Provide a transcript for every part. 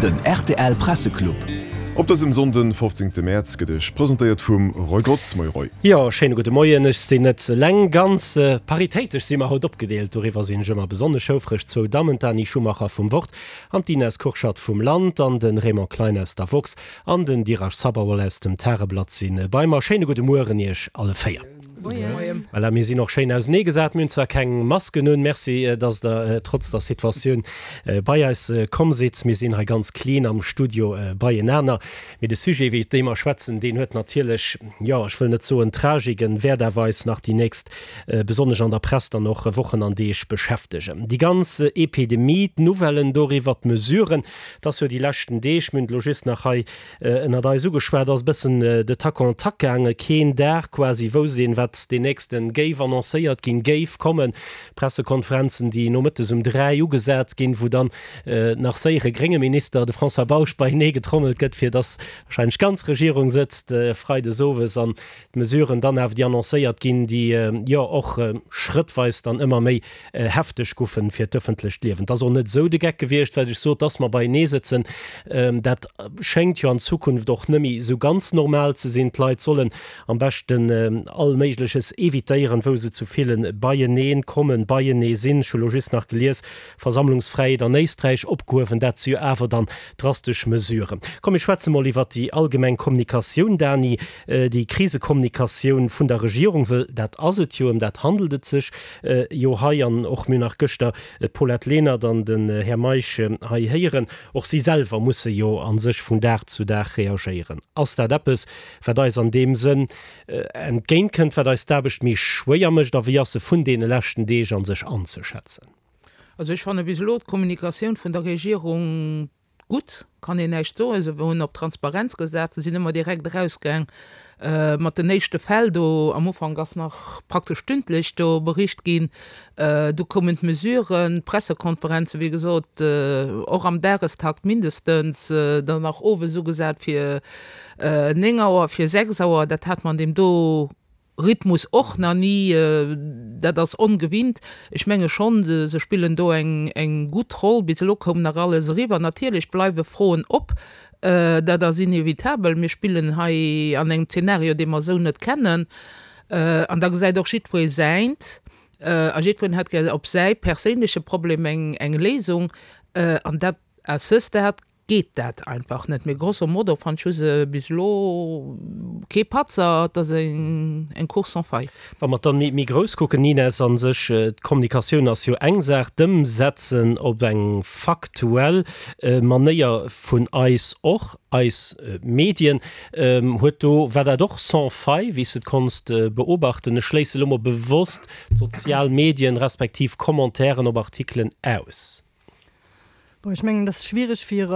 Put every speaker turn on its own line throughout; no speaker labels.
Den rtl Presseclub.
Op dësem Sonnden, 15 Mäerz, gëtt Iech presentéiert vum Roy Grotz. Moie Roy.
Jo, schéine gudde Moien. Ech sinn net eleng. Ganz paritéitesch si mer haut opgedeelt. Doriwwer sinn ech ëmmer besonnesch houfreg. Zwou Dammen, d'Dani Schumacher vum Wort an d'Ines Kurschat vum Land an de Raymond Klein aus der Woxx an den Dirac Sabawal aus dem Tageblatt si bei mer. Schéine gudde Mueren Iech alle 4.
Moien.
Voilà, mir sinn och schéin ausenee gesat. Mir hunn zwar keng Masken un. Merci, dass Der trotz der Situatioun bei eis komm sidd. Mir sinn hei ganz clean am Studio beienaner. Mee de Sujet, iwwert dee mer schwätzen, deen huet natierlech, jo, ech wëll net soen Tragik, en wäert awer eis nach déi nächst, besonnesch an der Press dann och, Wochen an Deeg beschäftegen. Déi ganz Epidemie, d'Nouvellen doriwwer, d'Mesuren, et ass jo déi leschten Deeg, mir hunn et elo just nach hei ënnert eis ugeschwat, ass e bëssen de Tac en Tac gaangen. Keen Dag quasi wousst een, wat deen nächsten géif annoncéiert ginn, géif kommen. Pressekonferenzen, déi nomëttes um 3 ugesat ginn, wou dann nach séier e grénge Minister, de François Bausch, beienee getrommelt gëtt, fir dass wahrscheinlech d'ganz Regierung sëtzt freides owes an d'Mesuren dann awer, déi annoncéiert ginn, déi jo och schrëttweis dann ëmmer méi hefteg goufen fir d'ëffentlecht Liewen. Et ass och net esou de Geck gewiescht, wat ech sot, dass mer beienee sëtzen. Dat schéngt jo an Zukunft och net méi esou ganz normal ze sinn. D'Leit sollen am beschten all Méigleches evitéieren, wou se zu ville beienee kommen, beienee sinn. Ech hu lo just nach gelies, Versammlungsfräiheet an Éisträich opgehuewen. Dat si jo awer dann drastesch Mesuren. Komm, mir schwätze mol iwwert déi allgemeng Kommunikatioun, Dani. Déi Krisekommunikatioun vun der Regierung, wëll dat ass et jo, ëm dat handelt et sech jo hei. An och mir hunn nach gëschter d'Paulette Lenert an den Här Meisch hei héieren, och si selwer musse jo a sech vun Dag zu Dag reagéieren. Ass dat eppes, wat eis an deem Sënn entgéintkënnt, wat eis d'Aarbecht méi schwéier mécht? A wéi ass se vun deene leschten Deeg a sech anzeschätzen?
Also ech fanne bis elo d'Kommunikatioun vun der Regierung Gutt, kann een näischt soen. Se hunn op Transparenz gesat, se sinn ëmmer direkt erausgaang mat den éischte Fäll. Do am Ufank ass nach praktesch stündlech do bericht ginn. Du koumen d'Mesuren, d'Pressekonferenzen, wéi gesot, och am Dagestakt mindestens, dann nach owes ugesat fir 9 Auer, fir 6 Auer. Dat hat mer an deem do Rhythmus och nach ni, dat ass ongewinnt. Ech menge schonn, se spillen do eng gutt Roll. Bis elo koum nach alles eriwwer. Natierlech bleiwe Froen op, dat ass inevitabel. Mir spillen hei an engem Zeenario, dee mer esou net kennen. An da gesäit och jiddweree säint a jiddwereen hätt gär op säi perséinleche Problem eng Léisung. An dat, à ce stade, geet dat einfach net. Mee grosso modo fannt ech hu se bis elo kee Patzer, et ass eng Course sans faille.
Wa mer dann méi grouss kucken, Ines, a sech d'Kommunikatioun ass jo eng Saach, d'Ëmsetzen op eng faktuell Manéier vun eis och, eis Medien, huet do, war dat och sans faille, wéi s de et konns beobachten? Ech schléisse lo mol bewosst d'sozial Medien respektiv Commentairen op Artikelen aus.
Bon, ech mengen, et ass schwierig, fir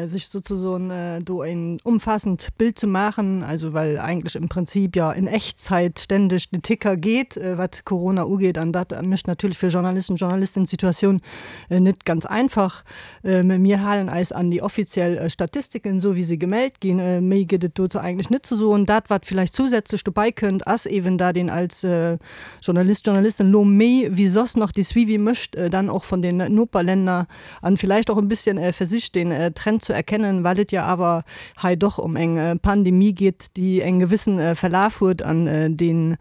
sech sozusagen do ein umfassend Bild zu maachen, also well eigentlech im Prinzip ja in Echtzeit ständig den Ticker geet, wat Corona ugeet, an dat mécht natierlech fir Journalisten, Journalistinnen d'Situatioun net ganz einfach. Mä mir halen eis an déi offiziell Statistiken, esou wéi se gemellt ginn. Méi gëtt et dozou eigentlech net ze soen. Dat, wat villäicht zousätzlech dobäi kënnt, ass eeben, dat een als Journalist, Journalistin lo méi wéi soss nach dee Suivi mécht, dann och von den Noperländer an vielleicht och e bisschen versicht den Trend zu erkennen, well et jo awer hei doch um eng Pandemie geet, déi eng gewissen Verlaf huet an deen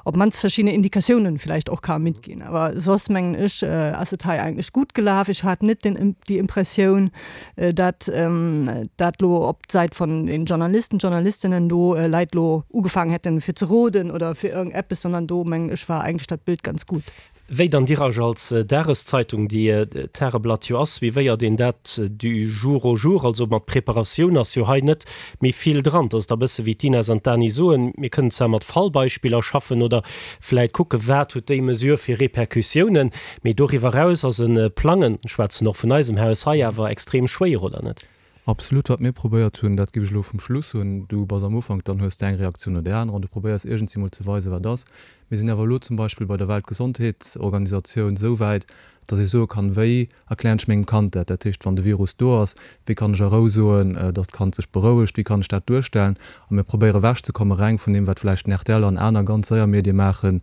op mannst verschiedene Indikatiounen vielleicht och ka mitginn. Awer soss mengen ech ass et hei eigentlech gutt gelaf. Ech hat net den déi Impressioun, dat dat lo op d'Säit von den Journalisten, Journalistinnen do Leit lo ugefaangen hätten fir ze roden oder fir irgend eppes, sondern do mengen ech war eigentlech dat Bild ganz gut.
Wéi dann Diraj als Dageszeitung, déi d'Tageblatt jo ass, wéi wéiert een dat du jour au jour? Also mat Preparatioun ass jo hei net méi vill dran. Et ass da bësse wéi d'Ines an d'Dani soen, mir kënnen zwar mat Fallbeispiller schaffen oder vläit kucke wat huet déi Mesure fir Repercussiounen, Mee doriwwer eraus ass e Plangen, ech schwätzen och vun eisem Haus hei, awer extrem schwéier, oder net?
Absolut. Wat mir probéiert hunn, dat géif ech elo vum Schluss hunn, du bass am Ufank, dann hues de eng Reaktioun no där anerer an du probéiers iergendwéi mol ze weisen, wat ass. Mir sinn awer elo zum Beispill bei der Weltgesondheetsorganisatioun esou wäit, datt ee soe kann, wéi erklären ech mengem Kand dat? Dat heescht, wann de Virus do ass, wéi kann ech a Rou soen, datt d'Kand sech berouegt, wéi kann ech dat duerstellen? A mir probéiere ewechzekomme reng vun deem, wat vläicht den rtl an aner ganz séier Medie maachen,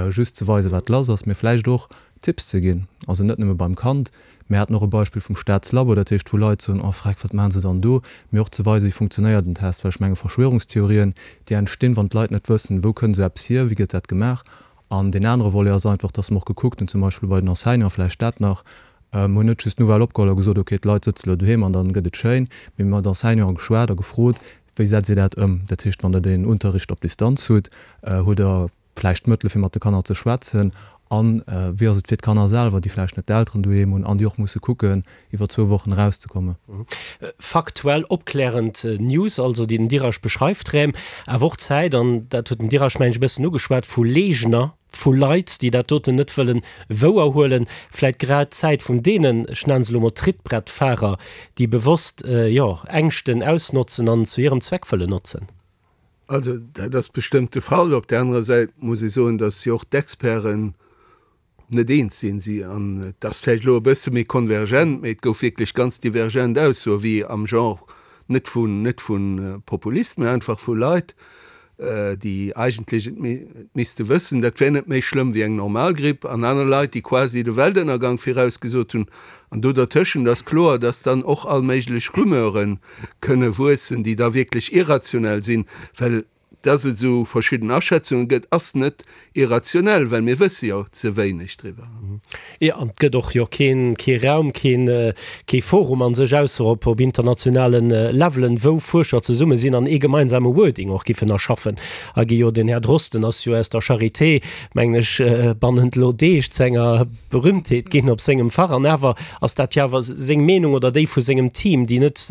just ze weisen, wat lass ass, mee vläicht och Tipps ze ginn, also net nëmme beim Kand, Mir haten och e Beispill vum Staatslabo, dat heescht wou Leit soen, oh freck, wat maachen se dann do? Mee och ze weisen, wéi funktionéiert en Test, well ech menge Verschwörungstheorien, déi entstinn, wann d'Leit net wëssen, wou kënnt esou eppes hier, wéi gëtt dat gemaach. An deen anere Volet ass einfach, dass mer och gekuckt hunn, zum Beispill bei den Enseignanten, vläicht dat nach, mer hunn net just d'Nouvelle opgeholl a gesot, okay, d'Leit sëtze lo doheem an dann gëtt et schéin, mee mir hu mat Enseignanten geschwat a gefrot, wéi setzt Dir dat ëm? Dat heescht, wann Der den Unterricht op Distanz hutt, hutt Der vläicht d'Mëttele fir mat de Kanner ze schwätzen an wéi ass et fir d'Kanner selwer, déi vläicht net d'Elteren doheem hunn an déi och musse kucken, iwwer zwou Wochen erauszekommen.
Faktuell opklärend News also, déi den Dirac beschreift, Räm awer och Zäit, an dat huet den Dirac mengen ech e bëssen ugeschwat, vu Leegner, vu Leit, déi dat doten net wëllen wouer huelen, vläit grad d'Zäit vun deenen, ech nennen se elo mol Trittbrettfahrer, déi bewosst, jo, Ängschten ausnotzen an zu hirem Zweck wëllen notzen.
Also dat ass bestëmmt de Fall. Op där anerer Säit muss ee soen, datt jo och d'Experten net eens sinn. Si, an et ass vläicht elo e bësse méi konvergent, mee et gouf wierklech ganz divergent Aussoe wéi am Genre, net vun, net vu Populisten, mee einfach vu Leit, déi eigentlech et misste wëssen, dat wär net méi schlëmm wéi eng normal Gripp, an aner Leit, déi quasi de Weltënnergang virausgesot hunn. An do dertëschent ass kloer, datt dann och all méiglech Rumeure kënne wuessen, déi da wierklech irrationell sinn, well dass et esou verschidden Aschätzunge gëtt, ass net irrationell, well mir wësse jo ze wéineg driwwer.
Jo, an et gëtt och jo keen, kee Raum, keen, kee Forum a sech, ausser op, op internationale Levelen, wou Fuerscher zesumme sinn an ee gemeinsame Wording och giffen erschaffen. A gi jo, den Här Drosten ass jo aus der Charité, mengen ech, bannent elo Deeg zu enger Berühmtheet ginn op sengem Fach an awer ass dat jo awer seng Meenung oder déi vu sengem Team, déi net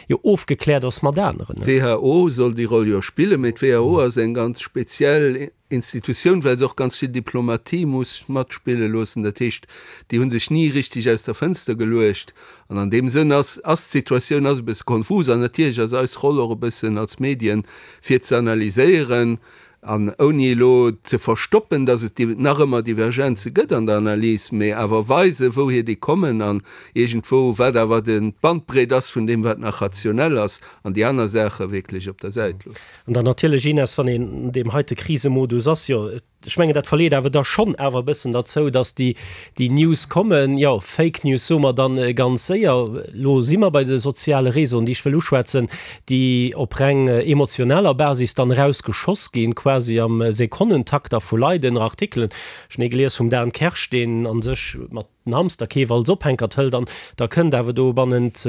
jo ofgekläert ass mat aneren.
D'WHO soll déi Roll jo spillen, mee d'WHO ass eng ganz speziell Institutioun, well se och ganz vill Diplomatie muss matspille loossen. Dat heescht, déi hu sech ni richteg aus der Fënster geluecht. An an deem Sënn ass ass d'Situatioun ass e bësse konfus. An natierlech ass eis Roll och e bëssen als Medien, fir ze analyséieren, An ouni elo ze verstoppen, datt et nach ëmmer Divergenze gëtt an der Analys, mee awer weisen, wouhier déi kommen an iergendwou, wat awer d'Bandbreet ass vun deem, wat nach rationell ass, an déi aner Saache wierklech op der Säit loossen.
An dann natierlech, Ines, wann een an deem heite Krisemodus ass, jo, ech mengen, dat verleet awer da schonn awer e bëssen derzou, datt déi, déi News kommen, jo, Fake News soe mer dann ganz séier, elo si mer bei de soziale Réseauen, déi ech wëll uschwätzen, déi op reng emotionaler Basis dann erausgeschoss ginn, quasi am Sekonnentakt a vu Leit ënner Artikelen. Ech hunn ee gelies vum Dan Kersch, deen a sech mat den Hamsterkeef als Ophänkert hëlt an da kënnt awer do bannent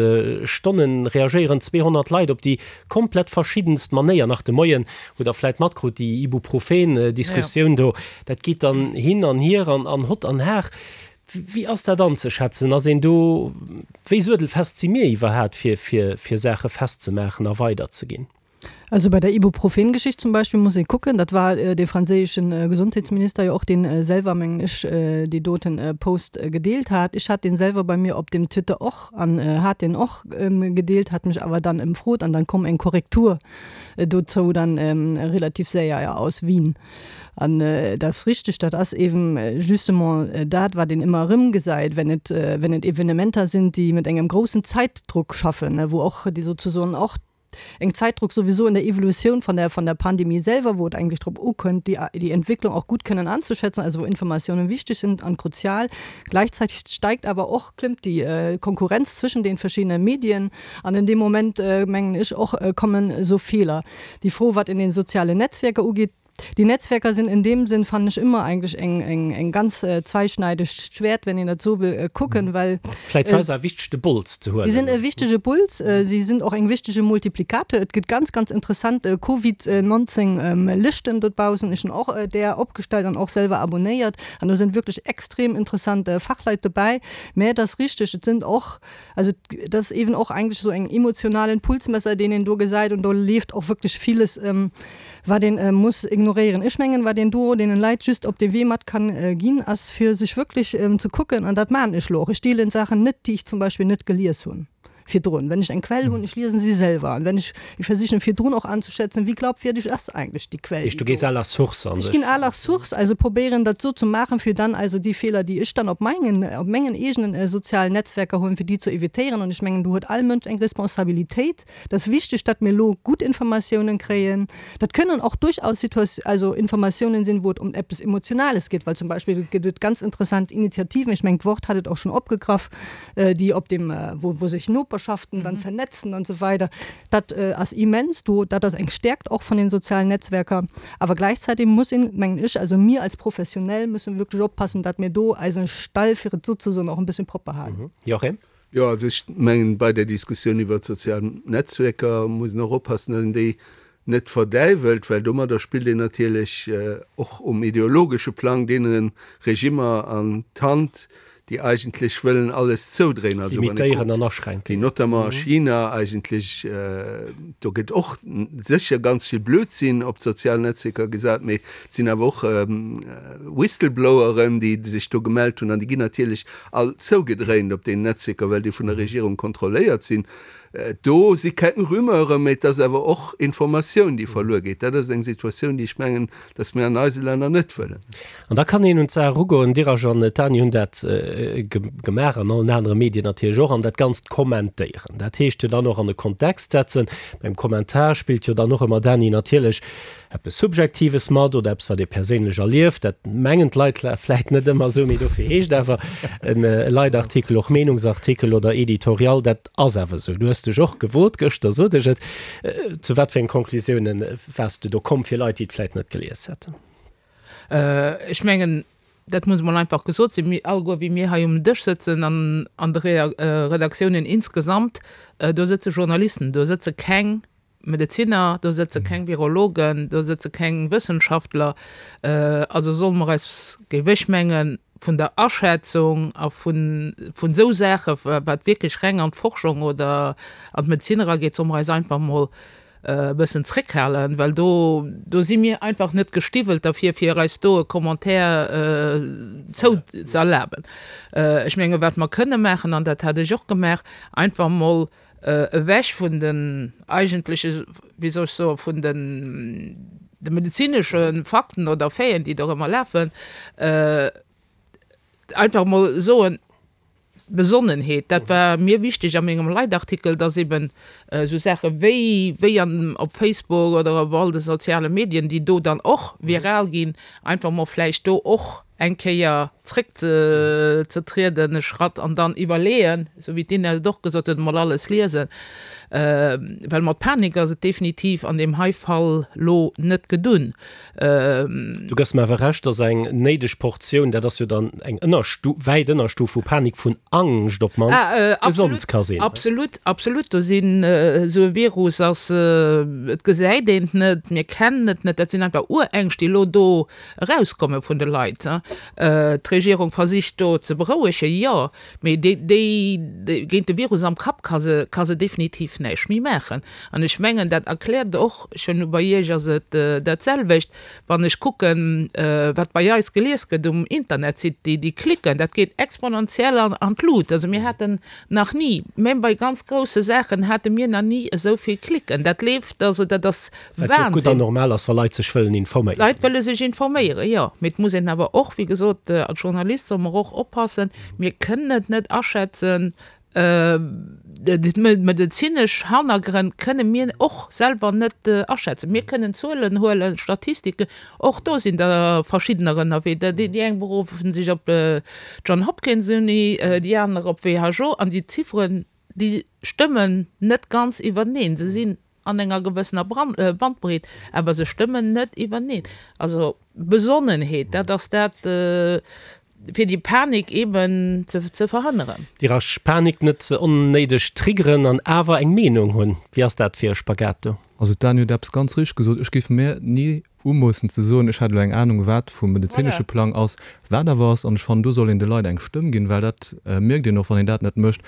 Stonnen reagéieren 200 Leit op déi komplett verschiddenst Manéier. Nach de Moien hutt Der vläit matkrut, déi Ibuprofen-Diskussioun do, dat geet dann hin an hier an hott an har. Wéi ass dat anzeschätzen? Ass een do, wéi suedelfest si mir iwwerhaat fir, fir, fir Saache festzemaachen a weiderzeginn?
Also bei der Ibuprofen-Geschicht zum Beispill muss ee kucken, dat war dee franséische Gesondheetsminister jo och, deen selwer, mengen ech, déi doten Post gedeelt hat. Ech hat deen selwer bei mir op dem Twitter och an hat deen och gedeelt, hat mech awer dann ëmfrot an dann komm eng Korrektur dozou dann relativ séier, jo, aus Wien. An dat ass richtig, dat ass eben justement dat, wat een ëmmer erëmgesäit, wenn et, wenn et Evenementer sinn, déi mat engem groussen Zäitdruck schaffen, wou och déi sozusoen och eng Zäitdruck sowieso in der Evolutioun von der, von der Pandemie selwer, wou et eigentlich drop ukënnt, déi, déi Entwicklung auch gut kënnen anzuschätzen, also wou Informatiounen wichtig sind an kruzial. Gleichzeitig steigt awer och, klëmmt déi Konkurrenz zwëschen den verschiedenen Medien an in deem Moment, mengen ech och, kommen esou Feeler. Déi Fro, wat in den sozialen Netzwerker ugeet, déi Netzwerker sinn in deem Sinn, fannen ech, ëmmer eigentlech eng, eng, eng ganz zweischneidegt Schwert, wenn een dat esou wëll kucken, well.
Vläit war se e wichtege Bols ze huelen.
Si sinn e wichtege Bols, si sinn och eng wichtege Multiplikator. Et gëtt ganz, ganz interessant Covid 19 Lëschten dobaussen. Ech hunn och där opgestallt an och selwer abonnéiert an do sinn wierklech extrem interessant Fachleit dobäi. Mä et ass richteg, et sinn och Also dat ass eben och eigentlech esou eng emotionalen Pulsmesser, deen een do gesäit und do leeft och wierklech villes, wat een muss ignoréieren. Ech mengen, wat een do deenen Leit just op de Wee mat kann ginn, ass fir sech wierklech ze kucken, an dat maachen ech lo och, ech deelen Saachen net, déi ech zum Beispill net gelies hunn. Virdrun, wenn ech eng Quell hunn, ech liesen si selwer an wenn ech, ech versichen virdrun och anzuschätzen, wéi glaubwürdig ass eigentlich déi Quell,
Heescht, du gees à la source an
Ech
sech.
ginn à la source, also probéieren dat esou ze maachen, fir dann also déi Feeler, déi ech dann op mengen, op mengen eegenen sozialen Netzwerker hunn, fir déi ze evitéieren. An ech mengen, do huet all Mënsch eng Responsabilitéit. Et ass wichteg, datt mir elo gutt Informatiounen kréien. Dat kënnen och durchaus Situat also Informatiounen sinn, wou et ëm eppes Emotionales geet, well zum Beispill gëtt et ganz interessant Initiativen, ech mengen d'Wort hat et och schonn opgegraff, déi op dem, wou wou sech Noperschaften dann vernetzen an esou weider. Dat ass immens do, dat ass eng Stärkt och vun den sozialen Netzwerker. Awer gleichzeitig muss een, mengen ech, also mir als Professionell müssen wierklech oppassen, datt mir do eise Stall, fir et esou ze soen, och e bësschen propper halen.
Joachim?
Jo, also ech mengen, bei der Diskussioun iwwert d'sozial Netzwerker muss een och oppassen, datt een déi net verdäiwelt, well domadder spillt een natierlech och um ideologesche Plang deene Regimmer an d'Hand, déi eigentlech wëllen alles zoudréinen. Also wann ee
Limitéieren an kuckt, aschränken.
wéi notamment a China eigentlech, do gëtt och sécher ganz vill Blödsinn op d'sozial Netzwierker gesat, mee et sinn awer och Whistlebloweren, déi sech do gemellt hunn an déi ginn natierlech all zougedréint op deenen Netzwierker, well déi vun der Regierung kontrolléiert sinn. Do si keng Rumeuren, mee et ass awer och Informatioun, déi verluer geet. Dat ass eng Situatioun, déi ech mengen, dass mir an eise Länner net wëllen.
An da kann een un d'Saach erugoen. D'Iraj an d'Dani hunn dat gemaach an allen anere Medien natierlech och, an dat Ganzt kommentéieren. Dat heescht jo dann och an e Kontext setzen. Beim Kommentar spillt jo dann och ëmmer, Dani, natierlech eppes Subjektives mat oder eppes, wat ee perséinlech erlieft. Dat mengen d'Leit vläit net ëmmer esou, mee dofir heescht awer e Leitartikel och Meenungsartikel oder Editorial. Dat ass awer esou. Du hues dech och gewot gëschter, sot ech et. Zu wat fir eng Conclusiounen waars de do komm, fir Leit, déi et vläit net gelies hätten?
Ech mengen, dat muss emol einfach gesot sinn, mir alleguer, wéi mir hei um Dësch sëtzen an an de Redaktiounen insgesamt, do sëtze Journalisten, do sëtze keng Medezinner, do sëtze keng Virologen, do sëtze keng Wëssenschaftler. Also solle mer eis, géif ech mengen, vun der Aschätzung a vun esou Saache wat wierklech reng an d'Forschung oder an d'Medezin erageet, solle mer eis einfach emol e bëssen zréckhalen, well do, do si mir einfach net gestiwwelt derfir, fir eis do e Commentaire zou ze erlaben. Ech menge wat mer kënne maachen, an dat hat ech och gemaach, einfach emol ewech vun den eigentleche, wéi soll ech soen, vun den de medezinesche Fakten oder Faiten, déi dorëmmer lafen, einfach emol soen, Besonnenheet, dat war mir wichteg a mengem Leitartikel, dass eben esou Saache wéi, wéi an op Facebook oder op all de soziale Medien, déi do dann och viral ginn, einfach emol vläicht do och eng Kéier zréck ze trieden, e Schratt, an dann iwwerleeën, esou wéi d'Inès et och gesot huet, emol alles liesen, well mat Panik ass et definitiv an deem hei Fall lo net gedun.
Du gëss mer awer Recht, dass eng néideg Portioun, dat ass jo dann eng Ënnerstu wäit Ënnerstuf vu Panik, vun Angscht op d'mannst gesond ka sinn.
Absolut, absolut. Do sinn, esou e Virus ass, et gesäit een et net, mir kennen et net, dat sinn einfach Urängscht, déi elo do Erauskomme vun de Leit. D'Regierung versicht do ze berouegen, jo, mee déi géint de Virus am Kapp ka se ka se definitiv näischt méi maachen. An ech mengen, dat erkläert och, ech hunn, bei Iech ass et dat selwecht, wann ech kucken, wat bei eis gelies gëtt um Internetsite, déi déi Klicken, dat geet exponentiell an d'Lut. Also mir haten nach ni, même bei ganz grousse Saachen hate mir nach ni esou vill Klicken. Dat leeft, also dat ass
Wat jo och gutt an normal ass, wa Leit sech wëllen informéieren.
Leit wëlle sech informéieren, jo. Mee et muss een awer och, wéi gesot, als Journalist solle mer och oppassen, mir kënnen et net aschätzen, d'medezinesch Hannergrënn kënne mir och selwer net aschätzen. Mir kënnen Zuelen huelen, Statistiken, och do sinn der verschiddener ënnerwee. Déi eng beruffen sech op d'John Hopkins Uni, déi aner op WHO, an déi Zifferen, déi stëmmen net ganz iwwerteneen. Se sinn an enger gewëssener Bandbreet, awer se stëmmen net iwwerneen. Also Besonnenheet, dat ass dat, fir déi Panik eeben ze verhënneren.
Déi rasch Panik net ze onnéideg triggeren an awer eng Meenung hunn. Wéi ass dat fir e Spagat do?
Also d'Dani huet eppes ganz richteg gesot, Ech géif mir ni umoossen ze soen, ech hätt elo eng Anung wat vum medezinesche Plang ass, wat awer ass. An ech fannen, do soll een de Leit eng Stëmm ginn, well dat mierkt een och, wann een dat net mécht,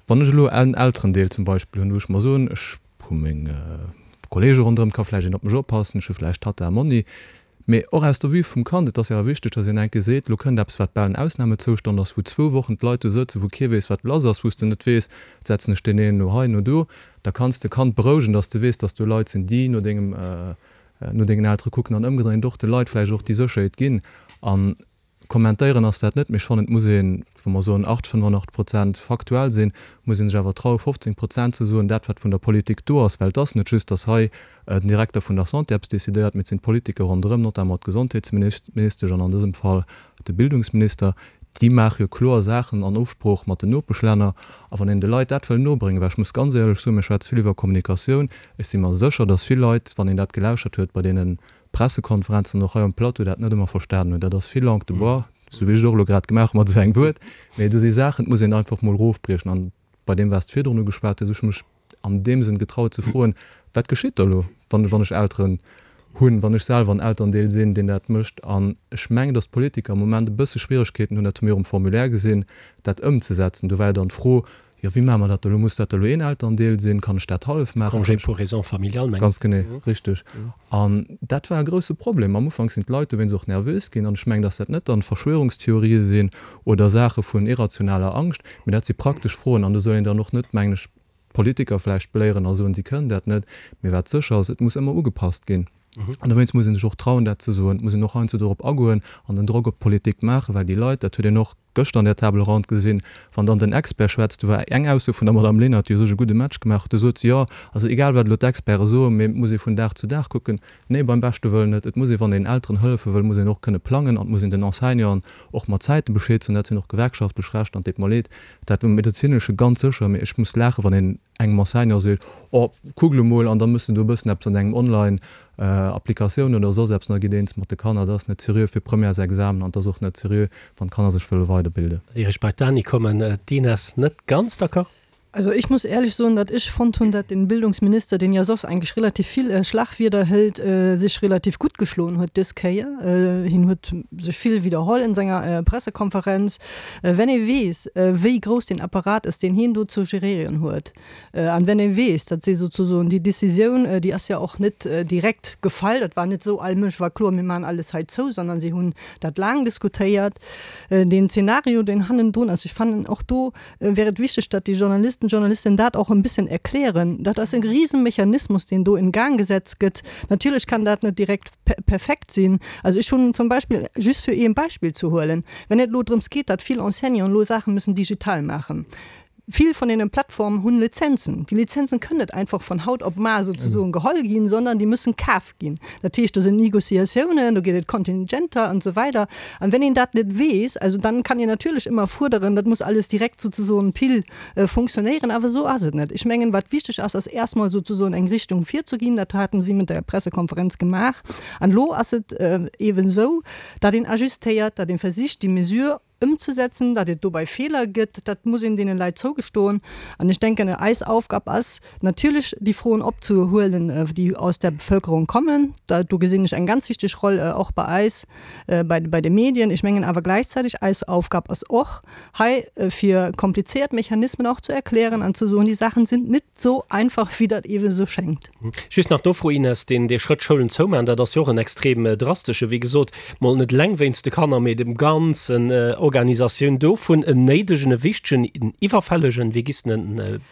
Wann ech elo en Elterendeel zum Beispill hunn, wou ech mer soen, ech hu meng Kollege ronderëm, et ka vläicht een op mech oppassen, ech hu vläicht Tatta a Monni. Mee och aus der Vue vum Kand, et ass jo awer wichteg, datt een enke seet, elo kënnt eppes, wat bal en Ausnahmezoustand ass, wou zwou Wochen d'Leit do sëtzen, wou kee weess, wat lass ass, wou s de net weess, setzen ech deen een elo hei, no do. Da kanns de Kand berouegen, datt s de weess, datt do Leit sinn, déi no dengem, no dengen Eltere kucken an ëmgedréint och de Leit vläicht och déi Sécherheet ginn. An Kommentéieren ass dat net, mee ech fannen, et muss een, wa mer soen 8, 85 Prozent faktuell sinn, muss ee sech awer trauen, 15 Prozent ze soen, dat wat vun der Politik do ass, well et ass net just, datt hei den Direkter vun der Santé eppes decidéiert, mee et sinn d'Politiker ronderëm, notamment d'Gesondheetsministesch an an dësem Fall de Bildungsminister, déi maache jo kloer Saachen an Ofsprooch mat den Nopeschlänner. A wann een de Leit dat wëll nobréngen, well ech muss ganz éierlech soen, mir schwätze vill iwwer Kommunikatioun, ech si mer sécher, datt vill Leit, wann een dat gelauschert huet bei deene Pressekonferenzen an och hei um Plateau dat net ëmmer verstanen hunn. Dat ass vill Langue de bois, sou wéi ech et och elo grad gemaach hu mat esou engem Wuert. Mee do si Saachen, et muss een einfach mol erofbriechen. An bei deem, wat s de virdrun ugeschwat hues, ech hu mech an deem Sënn getraut ze froen, Wat geschitt da elo, wann wann ech Elteren hunn, wann ech selwer en Elterndeel sinn, deen dat mécht? An ech mengen, datt d'Politiker am Moment e bësse Schwieregkeeten hunn, dat hu mir och um Formulaire gesinn, dat ëmzesetzen. Do war jo dann d'Fro, Jo, wéi maache mer dat da elo? Muss dat da elo een Elterndeel sinn? Kann ech dat hallef maachen?
Congé pour raisons familiales, mengs
Ganz genee, richteg. An dat war e grousse Problem. Am Ufank sinn d'Leit dowéinst och nervös ginn. An ech mengen, dass dat net dann Verschwörungstheorië sinn oder Saache vun irrationaler Angscht, mee dat si praktesch Froen. An do soll een dann och net, mengen ech, d'Politiker vläicht beléieren a soen, si kënnen dat net. Mee wat sécher ass, et muss ëmmer ugepasst ginn. An dowéinst muss ee sech och trauen, dat ze soen. Et muss een och heiansdo dorop agoen an den Drock op d'Politik maachen, well déi Leit, dat huet een och gëschter an där Table ronde gesinn, wann dann den Expert schwätzt, do war eng Ausso vun der Madame Lenert, déi u sech e gudde Match gemaach huet, do sot se, jo, also egal wat elo d'Experte soen, mee et muss ee vun Dag zu Dag kucken. Nee, beim beschte Wëllen net. Et muss ee, wann een Elteren hëllefe wëll, muss een och kënne plangen an et muss een den Enseignanten och mat Zäite Bescheed soen. Dat sinn och gewerkschaftlech Rechter an et deet mer leed, dat um medezinesche ganz sécher, mee ech muss laachen, wann een engem Enseignant seet, oh, kuck elo mol, an da mëss de do e bëssen eppes an engem Online Applikatioun oder soss eppes, an da gitt eens mat de Kanner. Dat ass net seriö fir Premièresexamen an et ass och net seriö, wann d'Kanner sech wëlle weiderbilden.
Ier ech bei d'Dani kommen, d'Ines net ganz d'accord?
Also ich muss ehrlich soen, datt ech fonnt hunn, datt den Bildungsminister, deen jo soss eigentlech relativ vill Schlagwierder hëlt, sech relativ gutt geschloen huet dës Kéier. Hien huet sech vill widderholl en senger Pressekonferenz. Wenn ee weess, wéi grouss deen Apparat ass, deen hien do ze geréieren huet, an wenn ee weess, datt si souzesoen déi Décisioun, déi ass jo och net direkt gefall, dat war net esou, all Mënsch war kloer, mir maachen alles hei zou, sondern si hunn dat laang diskutéiert, deen Zeenario, deen hannendrun ass, ech fannen och do wär et wichteg, datt déi Journalisten, Journalistinnen dat och e bëssen erklären. Dat ass e Risemechanismus, deen do in Gang gesetzt gëtt. Natierlech kann dat net direkt perfekt sinn. Also ech hunn zum Beispill, just fir ee Beispill ze huelen, wenn et elo drëms geet, datt vill Enseignanten elo Saache müssen digital maachen, vill vun deene Plattformen hunn Lizenzen. Déi Lizenzen kënnen net einfach von haut op mar souzesoen geholl ginn, sondern déi müssen kaf ginn. Dat heescht, do sinn Négociatiounen, do gëtt et Kontingenter an esou weider. An wenn een dat net weess, also dann kann een natierlech ëmmer fuerderen, dat muss alles direkt souzesoen pile funktionéieren, awer esou ass et net. Ech mengen, wat wichteg ass, ass erstmol souzesoen eng Richtung virzeginn. Dat haten si mat der Pressekonferenz gemaach. An elo ass et eeben esou, datt een ajustéiert, datt ee versicht, déi Mesure ëmzesetzen, datt et dobäi Feeler gëtt, dat muss een deene Leit zougestoen. An ech denken, eis Aufgab ass natierlech, déi Froen opzehuelen, déi aus der Bevölkerung kommen. Do gesinn ech eng ganz wichteg Roll och bei eis, bei de Medien. Ech mengen awer gläichzäiteg, eis Aufgab ass och, hei fir komplizéiert Mechanismen och zu erklären an zu soen, die Sachen sind nit so einfach, wéi dat ewe sou schéngt.
Just nach d'Nofro, Ines, deen dee Schrëtt Schoulen zoumaachen, dat ass jo och en extrem drastesche, wéi gesot, mol net eleng wéinst de Kanner, mee dem ganzen Organisatioun dovun, en néidegen, e wichtegen, en iwwerfällegen, wéi giss de en?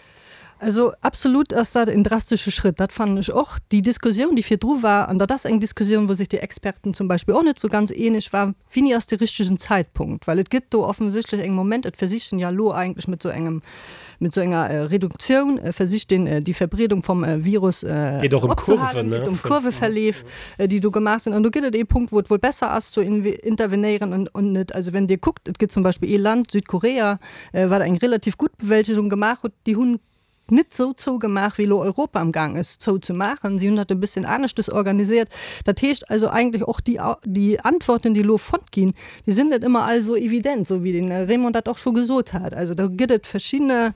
Also absolut ass dat en drastesche Schrëtt, dat fannen ech och. Déi Diskussioun, déi virdru war, an dat ass eng Diskussioun, wou sech déi Experten zum Beispill och net esou ganz eeneg waren, Wéini ass de richtegen Zäitpunkt? Well et gëtt do offensichtlech eng Moment, et versicht een ja elo eigentlech mat esou engem, mat esou enger Reduktioun versicht een déi Verbreedung vum Virus
Geet och ëm
opzehalen,
Kurven, ne?
geet ëm Kurveverleef, déi do gemaach sinn. An do gëtt et ee Punkt, wou et wuel besser ass zu intervenéieren an an net. Also wenn Dir kuckt, et gëtt zum Beispill ee Land, Südkorea, wat eng relativ gutt Bewältegung gemaach huet, déi hunn net esou zougemaach, wéi elo Europa am Gaang ass zouzemaachen. Si hunn dat e bësschen aneschtes organisiert. Dat heescht also eigentlech och déi, déi Antworten, déi elo fonnt ginn, déi sinn net ëmmer all esou evident, esou wéi den Raymond dat och scho gesot hat. Also do gëtt et verschidde,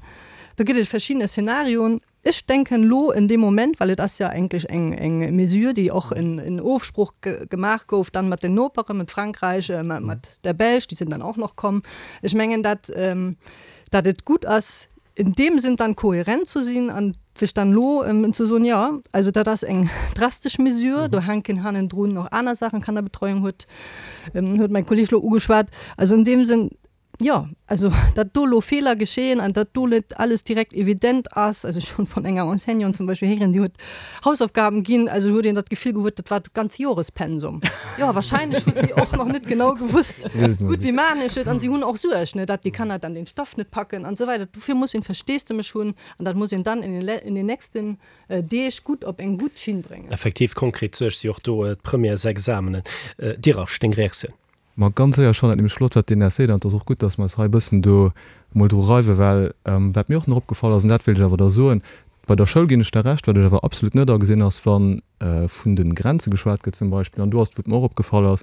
do gëtt et verschidde Szenarioen. Ech denken elo in deem Moment, well et ass jo eigentlech eng, eng Mesure, déi och in, in Ofsprooch gemaach gouf dann mat den Noperen, mat Frankräich, mat der Belsch, déi sinn dann och nach komm. Ech mengen, dat, dat et gutt ass, In deem Sinn dann kohärent zu sinn an. Sech dann elo ze soen, jo, also dat ass eng drastesch Mesure, do hänken hannendrun nach aner Saachen, Kannerbetreuung huet huet mäi Kolleg elo ugeschwat. Also an deem Sënn, jo, also datt do elo Feeler geschehen an datt do net alles direkt evident ass, also ech hunn vun enger Enseignante zum Beispill héieren, déi huet Hausaufgaben ginn, also huet een dat Gefill gehuet, dat war dat ganz Jorespensum. Jo, wahrscheinlech huet si och nach net genau gewusst, gutt, wéi maachen ech et? An si hunn och Suerg, ne, datt déi Kanner dann den Stoff net packen an esou weider. Dofir muss een Versteesdemech hunn an dat muss een dann in den, in den nächsten Deeg gutt op eng gutt Schinn bréngen.
Effektiv, konkret Suerg si och do d'Premièresexamenen. Dirasch, deng Reaktioun?
Ma ganz séier, ech fannen dat nämlech flott, wat d'Inès seet, an et ass och gutt, dass mer eis hei e bëssen do emol dru reiwen, well wat mir och nach opgefall ass, an dat wéilt ech awer da soen, bei der Schoul ginn ech der Recht, wat ech awer absolut net agesinn ass, wa vun de Grenze geschwat gëtt zum Beispill, an do ass et, wou et mer och opgefall ass,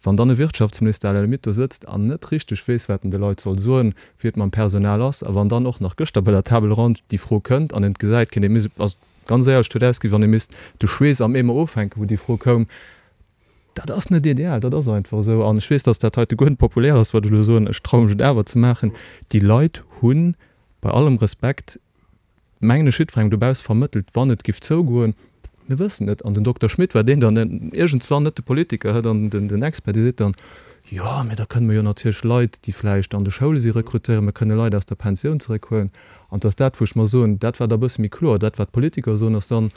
wann dann e Wirtschaftsminister à la limite do sëtzt an net richteg weess, wat en de Leit soll soen, wéi et mam Personal ass, a wann dann och nach gëschter bei der Table ronde déi Fro kënnt an en et gesäit, kéint ee mis-, also ganz éierlech, et huet ausgesinn, wéi wann ee misst de Schweess am Eemer ofhänken, wou déi Fro koum. Dat ass net ideal, dat ass einfach esou. An ech weess, dass dat heite guer net populär ass, wat ech elo soen. Ech traue mech et awer ze maachen. Déi Leit hunn, bei allem Respekt, mengen ech, jiddwerengem dobausse vermëttelt, wann et giff zougoen, mir wëssen et. An den Dokter Schmit war deen dann iergendswann, net de Politiker, hä, dann den Expert, dee seet dann, Jo, mä da kënne mer jo natierlech Leit, déi vläicht an de Schoule si rekrutéieren, mir kënne Leit aus der Pensioun zeréckhuelen. An et ass dat, wou ech mer soen, dat war da e bësse méi kloer. Dat, wat d'Politiker soen, ass dann,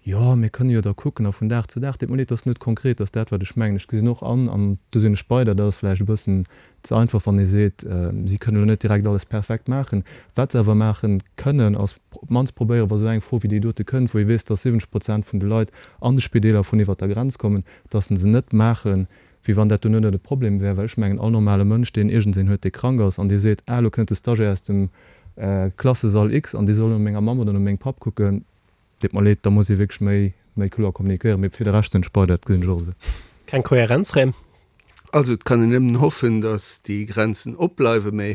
Jo, mir kënne jo da kucken a vun Dag zu Dag. Deet mer leed, dat ass net konkret, dat ass dat, wat ech mengen. Ech gesinn och an, an do sinn ech bei der, dat ass vläicht e bëssen ze einfach, wann ee seet, si kënnen elo net direkt alles perfekt maachen. Wat se awer maache kënnen, ass op d'mannst probéieren, wa sou eng Fro wéi déi dote kënnt, wou ee weess, dass 70 Prozent vun de Leit an de Spideeler vun iwwert der Grenz kommen, dass se se net maachen, wéi wann dat do net e Problem wär. Well ech mengen, all normale Mënsch, deen iergendseen huet, dee krank ass an dee seet, ah, elo kënnt de Stagiaire aus dem Klassesall X an dee soll no menger Mamm oder no mengem Papp kucken, Deet mer leed, da muss ee wierklech méi, méi kloer kommunikéieren. Mee fir de Rescht sinn ech bei der, dat gesinn ech och esou.
Keng Kohärenz, Rem.
Also et kann een nëmmen hoffen, datt déi Grenzen opbleiwen, mä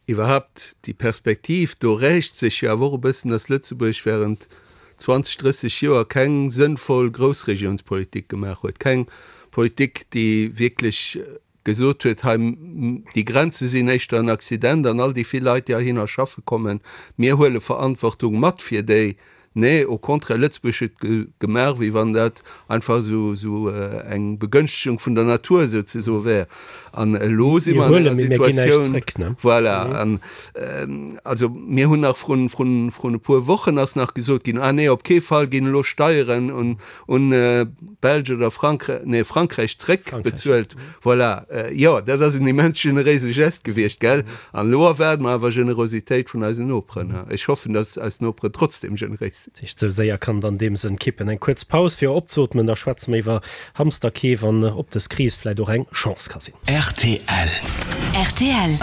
iwwerhaapt déi Perspektiv, do rächt sech jo awer och e bëssen, datt Lëtzebuerg während 20, 30 Joer keng sënnvoll Groussregionspolitik gemaach huet, keng Politik, déi wierklech gesot huet, hei déi Grenze sinn éischter en Accident an all déi vill Leit, déi heihinner schaffe kommen, mir huele Verantwortung mat fir déi. Nee, au contraire, Lëtzebuerg huet gemaach, wéi wann dat einfach esou eng Begënschtegung vun der Natur souzesoe wär. An elo si mer an enger Situatioun, voilà, an also mir hunn nach vrun, vrun, vrun e puer Wochen ass nach gesot ginn, ah nee, op kee Fall ginn elo Steieren un, un d'Belsch oder Frankräich, nee Frankräich zréckbezuelt. Voilà, jo, dat ass en immens generéise Gest gewiescht, gell? An elo erwaarde mer awer Generositéit vun eisen Noperen. Ech hoffen, dass eis Noperen trotzdem generéis sinn.
Sech sou séier kann et an deem Sënn kippen. Eng kuerz Paus fir opzeotmen, da schwätze mer iwwer Hamsterkeef an ob dës Kris vläit och eng Chance ka sinn.
Rtl. Rtl.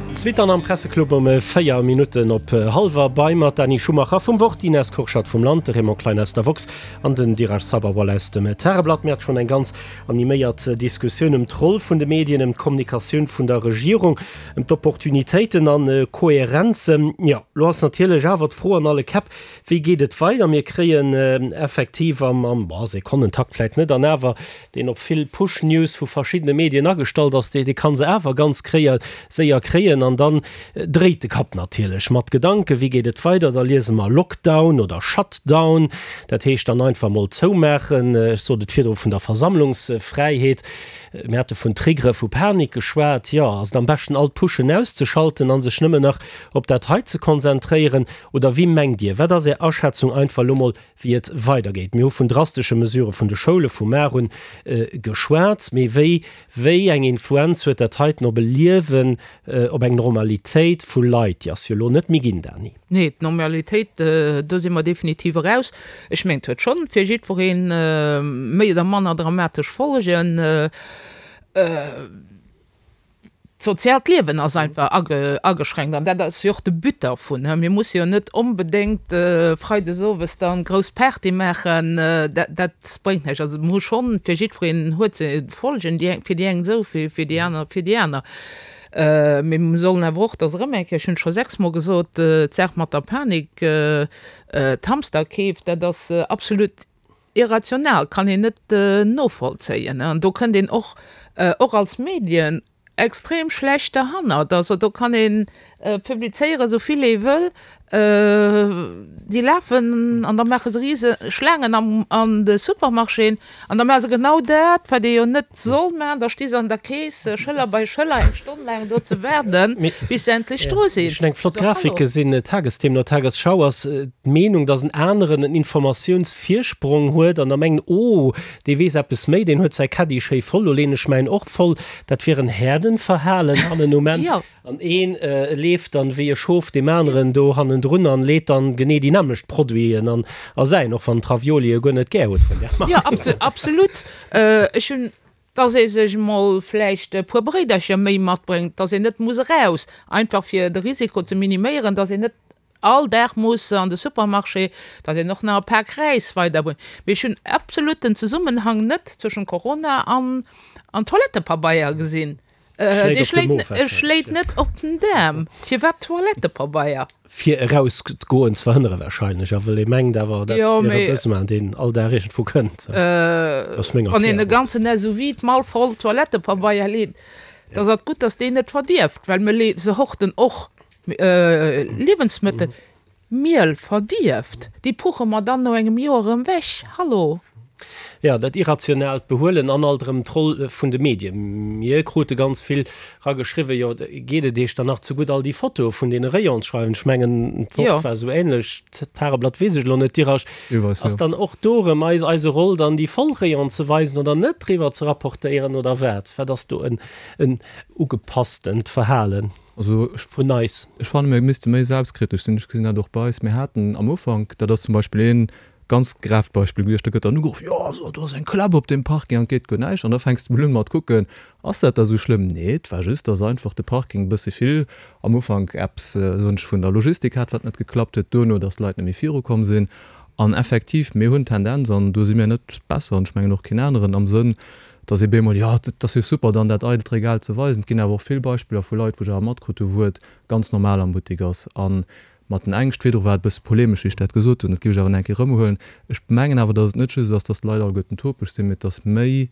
D'Suite dann am Presseclub um 4 Minutten op hallwer. Bei mer d'Dany Schumacher vum Wort, d'Ines Kurschat vum Land, de Raymond Klein aus der Woxx an den Diraj Sabharwal aus dem Tageblatt. Mir hate schonn eng ganz animéiert Diskussioun ëm d'Roll vun de Medien, ëm d'Kommunikatioun vun der Regierung, ëm d'Opportunitéiten an Kohärenzen. Jo, lo ass natierlech awer d'Fro an alle Käpp, Wéi geet et weider? Mir kréien effektiv am, am, boah, Sekonnentakt vläit net, an awer deen op vill Push-News vu verschiddene Medien agestallt ass, dee, dee ka se awer ganz kréie, séier kréien. An dann dréit de Kapp natierlech mat Gedanken, Wéi geet et weider? Da liese mer Lockdown oder Shutdown, dat heescht dann einfach mol zoumaachen. Ech sot et virdru vun der Versammlungsfräiheet. Mir hate vun Triggere vu Panik geschwat. Jo, ass et am beschten all d'Pushen auszeschalten a sech nëmmen nach op dat hei ze konzentréieren? Oder wéi mengt Dir, wat ass Är Aschätzung einfach elo mol, wéi et weidergeet? Mir hu vun drastesche Mesurë vun de Schoule vum Mar un geschwat, mee wéi, wéi eng Influenz huet dat heiten op e Liewen, op eng Normalitéit vu Leit? Déi ass jo elo net méi ginn, Dany.
Nee, d'Normalitéit, do si mer definitiv eraus. Ech mengen, et huet schonn fir jiddweree méi oder manner dramatesch Folgen. D'soziaalt Liewen ass einfach ageschränkt an dat ass jo och de But dervun. Mir musse jo net onbedéngt freides owes dann grouss Party maachen, dat bréngt näischt. Also mir hu schonn, fir jiddwereen huet se Folgen, déi eng fir déi eng esou, fir déi aner fir déi aner. Mee mir sollen awer och, dat ass erëm eng Kéier, ech hunn et scho sechsmol gesot, d'Saach mat der Panik, d'Hamsterkeef, dat ass absolut Irrational, kann een net novollzéien. An do kënnt een och, och als Medien. extrem schlecht derhannert. Also do kann ee publizéieren, esou vill ee wëll, déi lafen an da maache se rise Schlaangen am an de Supermarchéen an da maache se genau dat, wat ee jo net soll maachen, da sti se an der Kees Schëller bei Schëller eng Stonn laang do ze waarden, bis se endlech dru sinn.
Ech hunn eng flott Grafik gesinn, Tagesthemen oder Tagesschau, ass d'Meenung, datt en aneren en Informatiounsvirsprong huet an da mengen, oh, dee weess eppes méi, deen huet säi Caddie schéi voll, lo leen ech mäin och voll. Dat wier en Herdenverhalen hannen um Enn. An een leeft dann wéi e Schof deem aneren do hannendrun an leet dann genee déi nämmlecht Produiten an a säin, och wann d'Ravioli e guer net gär huet vun där
Mark. Jo, absolut. Ech hunn, dass ee sech emol vläicht e puer Bréidercher méi matbréngt, dass een net muss eraus, einfach fir de Risiko ze miniméieren, dass een net all Dag muss an de Supermarché, dass een och nach e Pak Räis weiderbréngt. Mee ech hunn absolut den Zesummenhang net zwëschen Corona an an Toilettepabeier gesinn. Dee schléit net op den Daarm. Firwat Toilettepabeier?
Fir erausgoen ze verhënnere wahrscheinlech, a wëll ee mengt awer, dat wier e Besoin, deen all Dag iergendwou kënnt.
Ass meng Erklärung. Wann een e ganzen SUV d'Mall voll Toilettepabeier leet, da ass et gutt, dass deen net verdierft, well mir se horten och Liewensmëttel. Miel verdierft, déi puche mer dann no engem Joer erëm weg. Hallo!
Jo, dat irrationaalt Behuelen an alt erëm d'Roll vun de Medien. Mir krute ganz vill rageschriwwen, jo, geet et Iech dann nach ze gutt, all déi Fotoe vun deene Rayonen ze schreiwen? Ech mengen, d'Wort war esou ähnlech, d'Pareblatt weess ech elo net. Dirasch, ass dann och do erëm eis eise Roll, dann déi voll Rayonen ze weisen oder net driwwer ze rapportéieren oder wat? Wat ass do en ugepasstent Verhalen?
Also ech
vun eis.
Ech fannen, mir misste méi selbstkritesch sinn. Ech gesinn dat och bei eis. Mir haten am Ufank, dat ass zum Beispill ee ganz greft Beispill gewiescht, da gëtt dann ugeruff, jo also do ass eng Klapp op deem Parking an et geet guer näischt. An da fänks de mol un mat kucken, ass dat da sou schlëmm? Nee, et war just, dass einfach de Parking e bësse vill am Ufank eppes, soen ech, vun der Logistik hat, wat net geklappt huet, duerno, dass d'Leit net méi virukomm sinn. An effektiv, mir hunn d'Tendenz, an do si mir net besser an ech mengen och keen aneren, am Sënn, dass ee bemol, jo, et ass jo super dann dat eidelt Regal ze weisen. Et ginn awer och vill Beispiller vu Leit, wou ech awer matkrutt hu wou et ganz normal am Buttek ass. A mat den Ängscht virdru war et e bësse polemesch, wéi ech dat gesot hunn, dat géif ech awer nach eng Kéier erëmhuelen. Ech mengen awer, dass et net just ass, dass d'Leit alleguerten topeg sinn, mee et ass méi,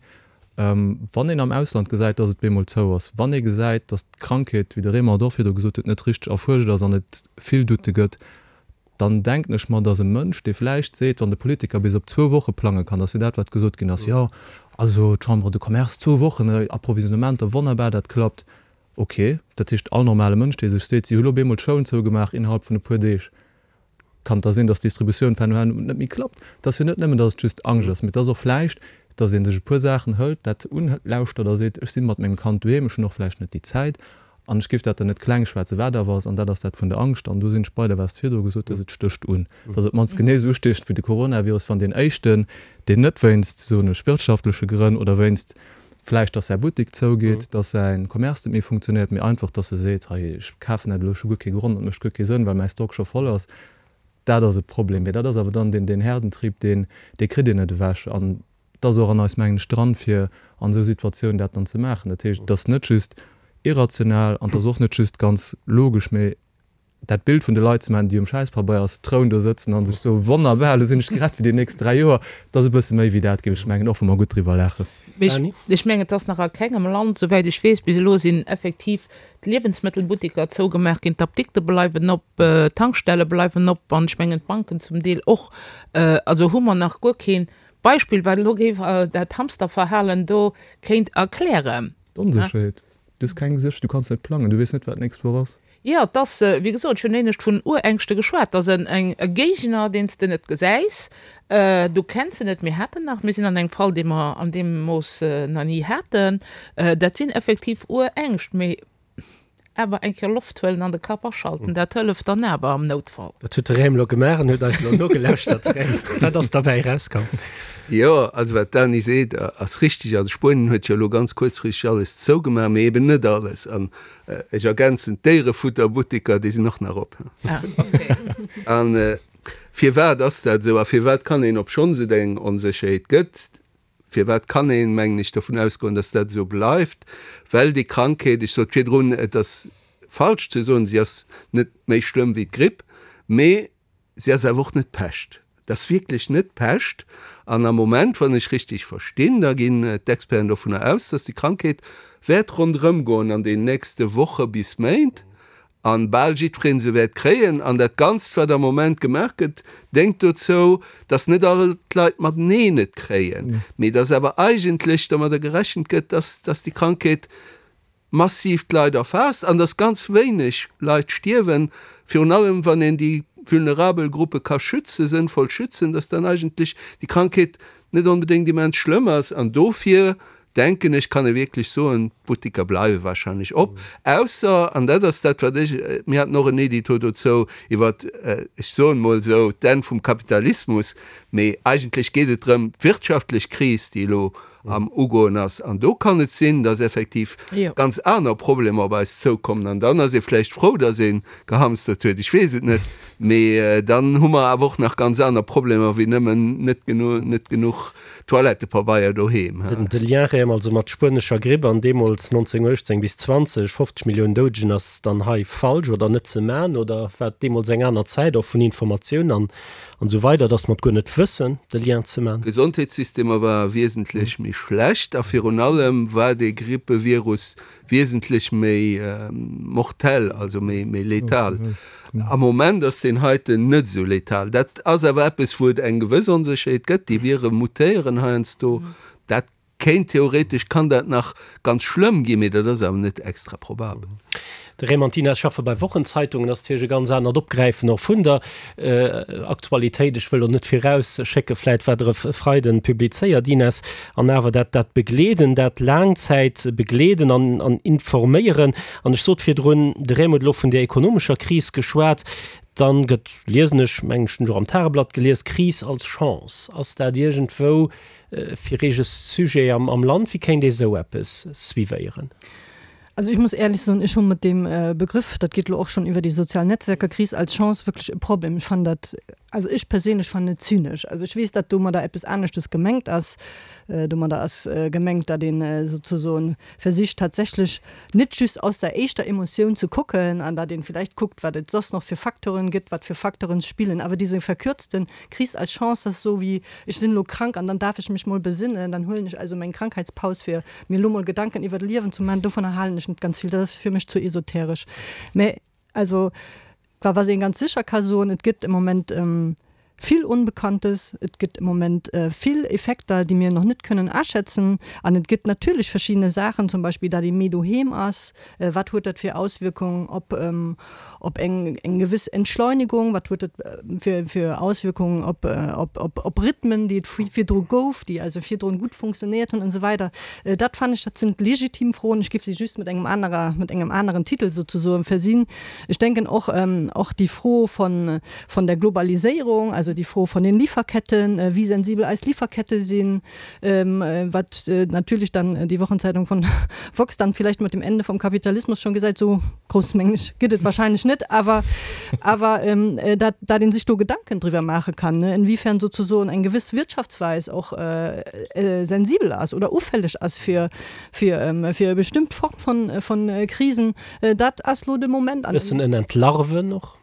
wann een am Ausland gesäit, dass et bemol zou ass, wann ee gesäit, dass d'Krankheet, wéi de Raymond och virdru gesot huet, net richteg erfuerscht ass an et vill Doute gëtt, dann denken ech mer, dass e Mënsch, dee vläicht seet, wann de Politiker bis op zwou Woche plange kann, dass jo dat, wat gesot ginn ass, jo, also d'Chambre de Commerce, zwou Wochen Approvisionnementer, wonnerbar, dat klappt, ok, dat heescht, all normale Mënsch, dee sech seet, si hu lo op eemol d'Schoulen zougemaach innerhalb vun e puer Deeg, kann et da sinn, dass d'Distributioun fernohen net méi klappt. Et ass jo net nëmmen, dass et just Angscht ass, mee et ass och vläicht, dass ee sech e puer Saachen hëlt, dat unlauschtert a seet, ech si mat mengem Kand doheem, ech hunn och vläicht net déi Zäit An ech géif dat dann net kleng schwätzen, wat awer ass, an dat ass dat vun der Angscht, an do sinn ech bei der, wat s de virdru gesot hues, et stécht un. Et ass op d'mannst genee esou ustiechend wéi de Coronavirus, wann deen éischten, deen net wéinst, soen ech, wirtschaftleche Grënn oder wéinst vläicht, dass säi Buttek zougeet, dass säi Commerce net méi funktionéiert, mee einfach, dass e seet, hei, ech kafen dat elo, ech hu guer kee Grond, dat mécht guer kee Sënn, well mäi Stock scho voll ass, dat ass e Problem. Mee dat ass awer dann deen, deen Herdentrieb, deen, dee kritt een net ewech. An Et ass och an eis, mengen ech, dran, fir an esou Situatiounen dat dann ze maachen. Dat heescht, et ass net just irrational an et ass och net just ganz logesch, mee dat Bild vun de Leit ze maachen, déi um Schäispabeierstroun do sëtzen a sech soen, Wonnerbar, elo sinn ech gerett fir déi nächst 3 Joer, dat ass e bësse méi wéi dat, géif ech mengen, och wa mer gutt driwwer laachen.
Mee ech mengen, et ass nach a kengem Land, souwäit ech weess, bis elo sinn effektiv d'Liewensmëttelbutteker zougemaach ginn, d'Apdikte bleiwen op, d'Tankstelle bleiwen op an ech mengen d'Banken zum Deel och. Also hu mer nach guer keen Beispill, wat elo géif dat Hamsterverhalen do kéint erklären.
D'Onsécherheet. Du hues keng Sécherheet, du kanns net plangen, du weess net, wat d'nächst Woch ass.
Jo, et ass, wéi gesot, ech hunn éinescht vun Urängschte geschwat. Et ass en e Géigner, deen s de net gesäis, du kenns en net. Mir haten nach, mir sinn an engem Fall, dee mer an deem Mooss nach ni haten. Dat sinn effektiv Urängscht. Mee Awer eng Kéier Loft huelen an de Kapp aschalten, dat hëlleft dann awer am Noutfall.
Dat huet de Raym elo gemaach an huet eis elo nogelauschtert. Raym, wat ass derbäi erauskomm?
Jo, also wat d'Dany seet, ass richteg. Also Spuenien huet jo elo ganz kuerzfristeg alles zougemaach, mee eben net alles. An ech ergänzen, d'Déierefutterbutteker, déi sinn och nach op.
Ah, okay.
An firwat ass dat esou a firwat kann een, obschonns et eng Onsécherheet gëtt, Firwat kann een, mengen ech, dovun ausgoen, dass dat esou bleift? Well déi Krankheet, ech sot virdrun, et ass falsch ze soen, si ass net méi schlëmm wéi d'Gripp, mee si ass awer och net d'Pescht. Et ass wierklech net d'Pescht. An am Moment, wann ech richtig verstinn, da ginn d'Experten dovunner aus, dass déi Krankheet. wäert ronderëm goen an den nächste Woche bis Méint an bal jiddwereen se wäert kréien. An dat Ganzt, wat am Moment gemaach gëtt, déngt dozou, dass net all d'Leit mateneen et kréien, mee dass awer eigentlech domadder gerechent gëtt, dass, dass déi Krankheet massiv d'Leit erfaasst an dass ganz wéineg Leit stierwen, virun allem wann een déi vulnerabel Gruppe ka schützen, sënnvoll schützen, dass dann eigentlech déi Krankheet net onbedéngt immens schlëmm ass. An dofir denken ech, kann ee wierklech soen, d'Buttiker bleiwe wahrscheinlech op, ausser, an dat ass dat wat ech, mir haten och en Edito dozou iwwer, ech soen emol esou, d'Enn vum Kapitalismus, mee eigentlech geet et drëm, d'wirtschaftlech Kris, déi elo am Ugoen ass. An do kann et sinn, dass effektiv ganz aner Problemer op eis zoukommen. An dann ass ee vläicht frou, dass ee gehamstert huet, ech weess et net. Mee dann hu mer awer och nach ganz aner Problemer wéi nëmmen net net genuch Toilettepabeier doheem.
De Lien rëm also mat spuenescher Gripp an deemools 1918 bis 20, 50 Milliounen Doudegen, ass dann hei falsch oder net ze man oder war et deemools eng aner Zäit och vun Informatioun an An esou weider, dass mer et guer net wëssen, de Lien ze man.
D'Gesondheetssystemer ware wiesentlech méi schlecht a virun allem war dee Grippevirus wiesentlech méi mortell, also méi letal. Am Moment ass deen heiten net esou letal. Dat ass awer eppes, wou et eng gewëss Onsécherheet gëtt. Déi Vire mutéieren heiansdo. Dat Kéint, theoretesch kann dat nach ganz schlëmm ginn, mee dat ass awer net extra probabel.
De Raymond Dina schaffe bei Wochenzeitungen ass natierlech e ganz anert Opgräifen och vun der Aktualitéit. Ech wëll elo net virausschécke vläit wat Der e Freiden publizéiert, Ines, an awer dat dat Begleeden, dat Laangzäitbegleeden an an Informéieren. An ech sot virdrun, de Raymond huet elo vun där ekonomescher Kris geschwat, dann gëtt, liesen ech, mengen ech hunn ech och am Tageblatt gelies, Kris als Chance. Ass dat iergendwou Fir eege Sujet am Land, wéi kéint ee sou eppes suivéieren?
Also ech muss éierlech soen, ech hu mat deem Begrëff, dat geet elo och schonn iwwer déi sozial Netzwerker, Kris als Chance, wierklech e Problem. Ech fannen dat, also ech perséinlech fannen et zynesch. Also ech weess, datt domadder eppes aneschtes gemengt ass. Domadder ass gemengt, datt een souzesoen versicht tatsächlech net just aus der éischter Emotioun ze kucken an datt een villäicht kuckt, wat et soss nach fir Facteuren gëtt, wat fir Facteuren spillen, awer dise verkürzten Kris als Chance, dat ass esou wéi, ech sinn elo krank an dann darf ech mech mol besinnen, dann huelen ech also meng Krankheitspaus fir mir elo mol Gedanken iwwer d'Liewen ze man. Dovunner halen ech net ganz vill, dat ass fir mech zu esoteresch. Mä also wa wat een ganz sécher ka soen, et gëtt am Moment vill Unbekanntes, et gëtt am Moment vill Effekter, déi mir nach net kënnen aschätzen an et gëtt natierlech verschiddene Saachen, zum Beispill dat ee méi doheem ass, wat huet dat fir Auswierkungen op op eng eng gewëss Entschleunigung, wat huet dat fir fir Auswirkungen op op op op Rhythmen, déi et virdru gouf, déi also virdrun gutt funktionéiert hunn an esou weider. Dat fannen ech, dat sinn legitim Froen. Ech géif se just mat engem anerer mat engem aneren Titel souzesoen versinn. Ech denken och och déi Fro von von der Globaliséierung, also déi Fro von den Lieferketten, wéi sensibel eis Lieferkette sinn, wat natierlech dann déi Wochenzeitung von Vox dann vielleicht mit dem Ende vom Kapitalismus schon gesäit, sou grouss mengen ech gëtt et wahrscheinlech net, awer awer dat dat een sech do Gedanken driwwer maache kann, ne, inwiefern sozusoen eng gewëss Wirtschaftsweis och sensibel ass oder ufälleg ass fir fir fir e bestëmmt Form von von Krisen, dat ass lo de Moment
an. Bëssen en Entlarven och?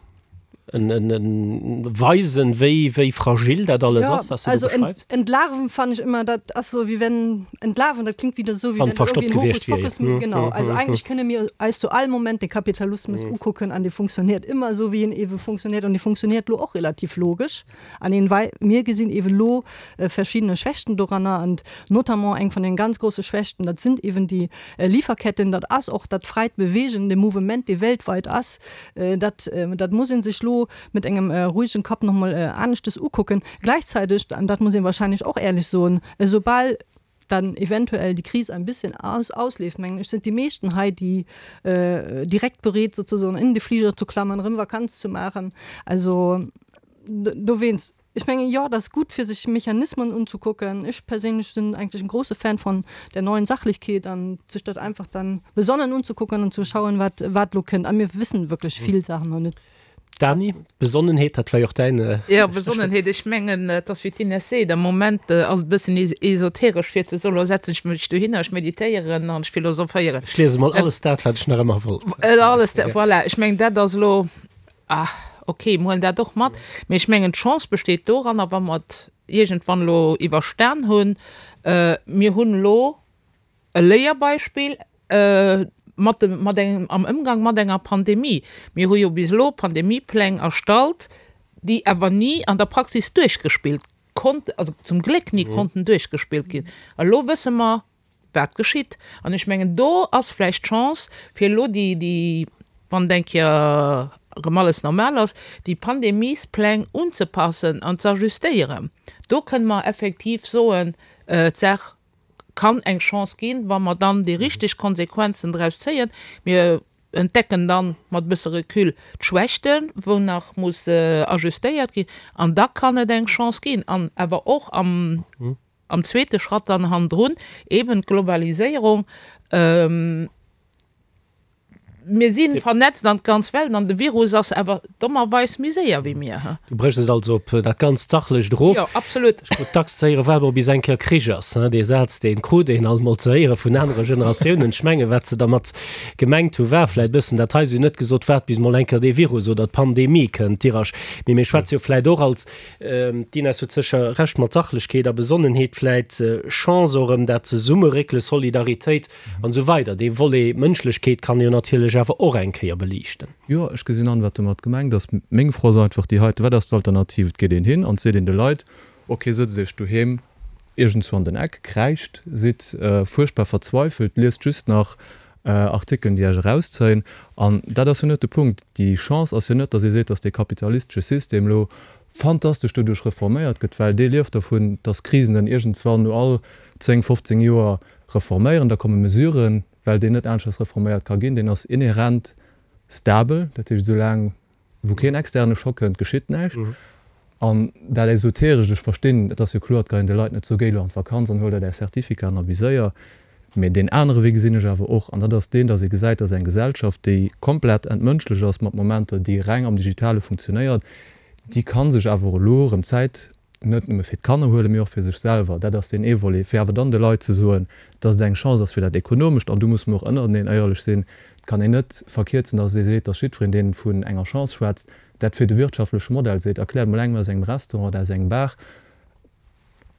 Weisen, wéi, wéi fragil dat alles ass,
was du do beschreibst. Entlarven fand ich immer, dat ass so wéi wenn, entlarven, dat klingt wieder so, wéi
wenn verstoppt gewiescht wier.
Hokuspokus, genau. Also eigentlich kënne mir eis zu all Moment de Kapitalismus ukucken an dee funktioniert ëmmer esou, wéi en ewe funktioniert an dee funktioniert lo och relativ logesch an een, wei mir gesinn ewe lo verschiddene Schwächten doranner an notamment eng vun den ganz grosse Schwächten, dat sind ewen déi Lieferketten, dat ass och dat fräit Bewegen, de Mouvement, dee weltweit ass. Dat, dat muss ee sech elo mat engem ruhigen Kapp nach emol aneschtes ukucken. Gleichzeitig, an dat muss ee wahrscheinlech och éierlech soen, esoubal dann eventuell déi Kris ein bisschen aus, ausleeft, mengen ech, sind déi meeschten hei, déi direkt bereet sozusagen in de Flieger zu klammen, erëm Vakanz zu maachen. Also dowéinst. Ech mengen, jo, dat ass gutt, fir sech Mechanismen unzukucken. Ech perséinlech sinn eigentlech en grosse Fan von der neuen Sachlichkeet an sech dat einfach dann besonnen unzukucken an zu schauen, wat, wat elo kënnt. A mir wëssen wierklech vill Saachen nach net.
Dany, Besonnenheet, dat war jo och däin.
Jo, Besonnenheet, ech mengen, et ass wéi d'Ines seet, am Moment ass et e bëssen esoteresch fir ze soen, elo setzen ech mech dohinner, ech meditéieren an ech philosophéieren.
Ech liese mol alles dat, wat ech nach ëmmer wollt.
Alles dat, voilà. Ech mengen, dat ass elo. Ah, ok, mir huelen dat och mat. Mee ech mengen, d'Chance besteet doranner, wa mer et iergendwann elo iwwerstan hunn, mir hunn elo e Léierbeispill. mat dem, mat engem, am Ëmgang mat enger Pandemie. Mir hu jo bis elo Pandemiepläng erstallt, déi awer ni an der Praxis duerchgespillt konnt, also zum Gléck ni konnten duerchgespillt ginn. A lo wësse mer, wat geschitt. An ech mengen, do ass vläicht d'Chance, fir elo déi, déi, wann et eng Kéier erëm alles normal ass, déi Pandemiespläng unzepassen an ze ajustéieren. Do kënne mer effektiv soen, d'Saach kann eng Chance ginn, wa mer dann déi richteg Konsequenzen draus zéien. Mir entdecken dann mat e bësse Recul d'Schwächten, wou nach muss ajustéiert ginn, an da kann et eng Chance ginn. An awer och am am zweete Schratt dann hannendrun eben d'Globaliséierung. Mir si vernetzt an d'ganz Welt an de Virus ass awer dommerweis méi séier wéi mir.
Du bréchs et also op dat ganzt Sachlecht erof.
Jo, absolut.
Ech krut dacks ze héieren, Waart mol bis eng Kéier Krich ass. Dee Saz, dee krut een alt mol ze héiere vun anere Generatiounen. Ech mengen, wat se dermat gemengt hu war vläit bëssen dat hei. Si hunn net gesot, Waart bis mol eng Kéier dee Virus oder d'Pandemie kënnt, Dirasch. Mee mir schwätze jo vläit och als, d'Ines huet sécher Recht, mat Sachlechkeet a Besonnenheet vläit Chance och erëm dat Zesummeréckele, Solidaritéit, An esou weider. Dee Volet Mënschlechkeet kann ee jo natierlech awer och eng Kéier beliichten.
Jo, ech gesinn an, wat domat gemengt ass. Meng Fro ass einfach déi heiten, Wat ass d'Alternativ? Et geet een hin an et seet een de Leit, Ok, sëtzt Iech doheem iergendzwou an den Eck, kräischt, sidd fuerchtbar verzweifelt, liest just nach Artikelen, déi Iech erauszéien. An dat ass jo net de Punkt. Déi Chance ass jo net, datt ee seet, datt dee kapitalistesche System elo fantastesch doduerch reforméiert gëtt, well dee lieft dervun, datt Krisen en iergendzwann no all 10, 15 Joer Reforméieren, da komme Mesuren, well deen net aneschters reforméiert ka ginn, deen ass inhärent stabel, dat heescht esou laang wou keen externe Schock kënnt, geschitt näischt. An dat Esoterescht, ech verstinn, et ass jo kloer, et kann een de Leit net soe géi elo an d'Vakanz an huel der däi Certificat an abuséier, mee deen anere Wee gesinn ech awer och, an dat ass deen, datt ee gesäit, datt eng Gesellschaft, déi komplett entmënschlecht ass mat Momenter, déi reng am Digitale funktionéiert, déi ka sech awer elo erëm Zäit net nëmme fir d'Kanner huelen, mee och fir sech selwer. Dat ass deen ee Volet, fir awer dann de Leit ze soen, dass et eng Chance ass fir dat Ekonomescht. An do musse mer och ënnereneen éierlech sinn, Et kann een net verkierzen, dass ee seet, dass jiddwereen, dee vun enger Chance schwätzt, dat fir de wirtschaftleche Modell seet. Erkläert emol engem aus engem Restaurant oder aus engem Bar,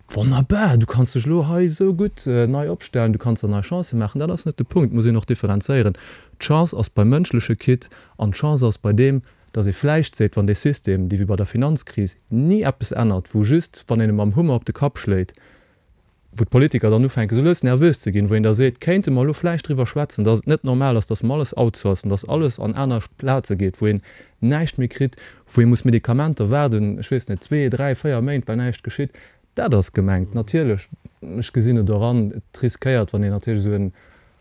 Wonnerbar, du kanns dech elo hei esou gutt nei opstellen, du kanns der nei Chancë maachen. Dat ass net de Punkt. Et muss een och differenzéieren. D'Chance ass beim mënschleche Kitt an d'Chance ass bei deem, dass ee vläicht seet, wann dee System, dee wéi bei der Finanzkris ni eppes ännert, wou just, wann een e mam Hummer op de Kapp schléit, wou d'Politiker dann ufänken esou lues nervös ze ginn, wou een da seet, kéinte mer elo vläicht driwwer schwätzen, dass et net normal ass, dass mer alles outsourcen, dass alles an aner Plaze geet, wou een näischt méi kritt, wou ee muss Medikamenter waarden, ech weess net, zwee, dräi, véier Méint, well näischt geschitt. Dat ass gemengt. Natierlech, ech gesinn et och an, et riskéiert, wann een natierlech esou en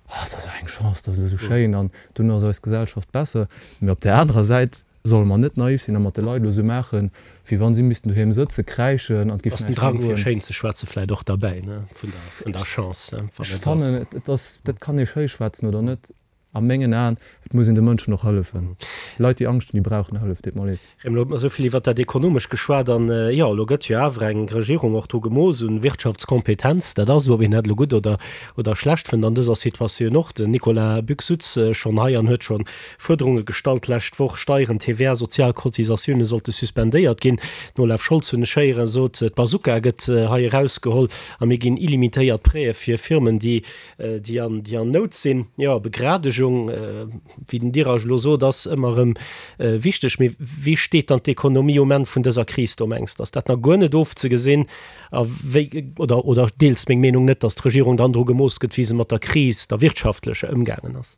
Oh, et ass esou eng Chance, et ass elo esou schéin an duerno ass eis Gesellschaft besser. Mee op där anerer Säit solle mer net naiv sinn a mat de Leit elo esou maachen, wéi wa si missten doheem sëtzen, kräischen an et
géif Ass den näischt méi Drang fir goen. schéin ze schwätzen vläit och derbäi, ne, vun der, vun der Chance, ne,
wann Ech et esou ass. fannen, et ass, dat kann ee schéi schwätzen oder net, a mengen Aen, et muss een de Mënschen och hëllefen. Leit, déi Angscht hunn, déi brauchen Hëllef, deet mer leed.
Rem, elo huet mer esou vill iwwert dat Ekonomescht geschwat an, jo, elo gëtt jo awer eng Regierung och dru gemooss un Wirtschaftskompetenz. Dat ass esou, ob een dat elo gutt oder, oder schlecht fënnt an dëser Situatioun och. Den Nicolas Buck sutz schonn hei an huet scho Fuerderunge gestallt d'lescht Woch, Steieren, TVA, sozial Cotisatioune sollte suspendéiert ginn. Den Olaf Scholz, hunn ech héieren, sot, d'Bazooka gëtt hei erausgeholl a mir ginn illimitéiert Prêtë fir Firmen, déi, déi an, déi an Nout sinn. Jo, Begradegung, wéi den Dirac elo sot, ass ëmmer erëm wichteg. Mee wéi steet dann d'Ekonomie um Enn vun dëser Kris do? Mengs de, ass dat nach guer net ofzegesinn? A wéi, oder, oder deels meng Meenung net, datt d'Regierung dann dru gemooss gëtt, wéi se mat der Kris, der wirtschaftlecher, ëmgaangen ass?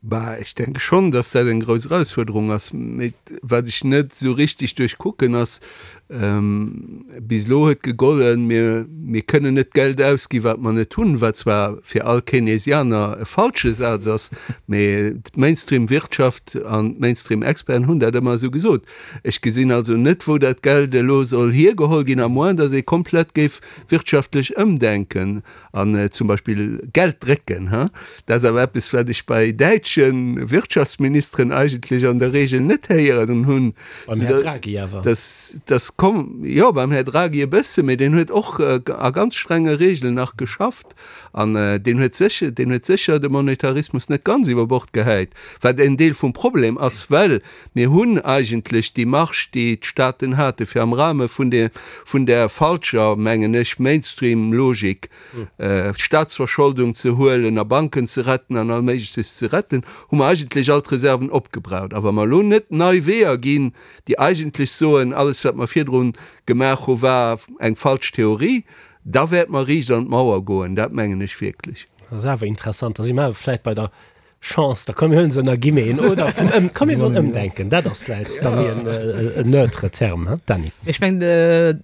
Bah, ech denke schonn, datt dat eng grouss Erausfuerderung ass. Mee wat ech net esou richtig duerchkucken ass, bis elo huet gegollen, mir, mir kënnen net Geld ausgi wat mer net hunn, wat zwar fir all Keynesianer e falsche Saz ass, mee d'Mainstream-Wirtschaft an d'Mainstream-Experten hunn dat ëmmer esou gesot. Ech gesinn also net, wou dat Geld elo soll hiergeholl ginn, à moins datt ee komplett géif wirtschaftlech ëmdenken. An zum Beispill Geld drécken, ha, dat ass awer eppes, wat ech bei däitsche Wirtschaftsministeren eigentlech an der Regel net héieren hunn.
Beim Här Draghi awer.
Dass, dass. Komm, jo, beim Här Draghi e bësse, mee deen huet och a ganz strenge Regeln nach geschafft an deen huet sécher, deen huet sécher de Monetarismus net ganz iwwer Bord gehäit, wat en Deel vum Problem ass, well mir hunn eigentlech déi Marge, déi d'Staaten hate fir am Rahme vun der, vun där falscher, mengen ech, Mainstream-Logik, Staatsverscholdung ze huelen a Banken ze retten an all Méigleches ze retten, hu mer eigentlech all d'Reserven opgebraucht. A wa mer elo net nei Weeër ginn, déi eigentlech soen, alles wat mer virdrun gemaach hu war eng falsch Theorie, da wäerte mer riicht an d'Mauer goen, dat mengen ech wierklech.
Dat ass awer interessant. Da si mer awer vläicht bei der Chance, da komm mir huelen se ënner Guillemeten, oder vum Ëm, komm mir soen Ëmdenken, dat ass vläicht da méi en neutre Term, he Dany?
Ech mengen,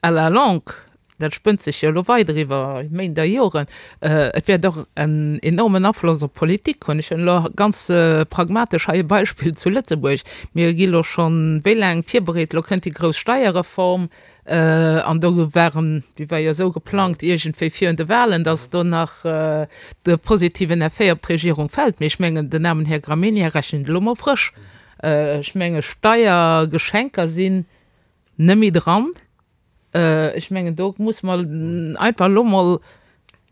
à la longue, dat spënnt sech jo elo weider iwwer Méint a Joren, et wäert och en enormen Afloss op d'Politik hunn. Ech hunn elo ganz pragmatesch hei e Beispill zu Lëtzebuerg. Mir gi elo schonn wéi laang virbereet, elo kënnt déi grouss Steierreform an do waren, déi war jo esou geplangt iergendwéi virun de Wahlen, datt do nach de positiven Effet op d'Regierung fält. Mee ech mengen, den aarmen Här Gramegna rechent elo mol frësch. Ech menge Steiergeschenker sinn net méi dran. Ech mengen, do musse mer einfach elo mol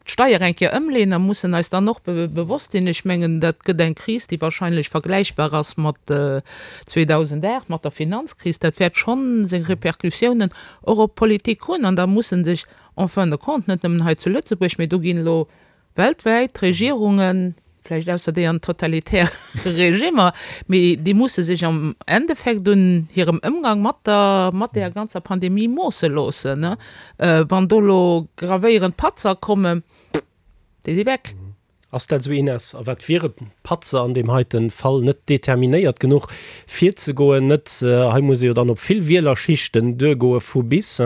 d'Steier eng Kéier ëmleeën a mussen eis dann och bewosst sinn, ech mengen, dat gëtt eng Kris, déi wahrscheinlech vergläichbar ass mat 2008, mat der Finanzkris. Dat wäert schonn seng Répercussiounen och op d'Politik hunn. An da musse sech en fin de compte, net nëmmen hei zu Lëtzebuerg, mee do ginn elo Weltwäit, d'Regierungen, vläicht ausser déi an totalitäre Regimmer, mee déi musse sech am Endeffekt un hirem Ëmgang mat der, mat där ganzer Pandemie moosse loossen. Wann do elo gravéierend Patzer kommen, déi si weg.
Ass dat esou, Ines? A wat wiere Patzer an deem heite Fall? Net determinéiert genuch virzegoen, net, hei muss ee jo dann op vill Wielerschichten duergoe vu bis,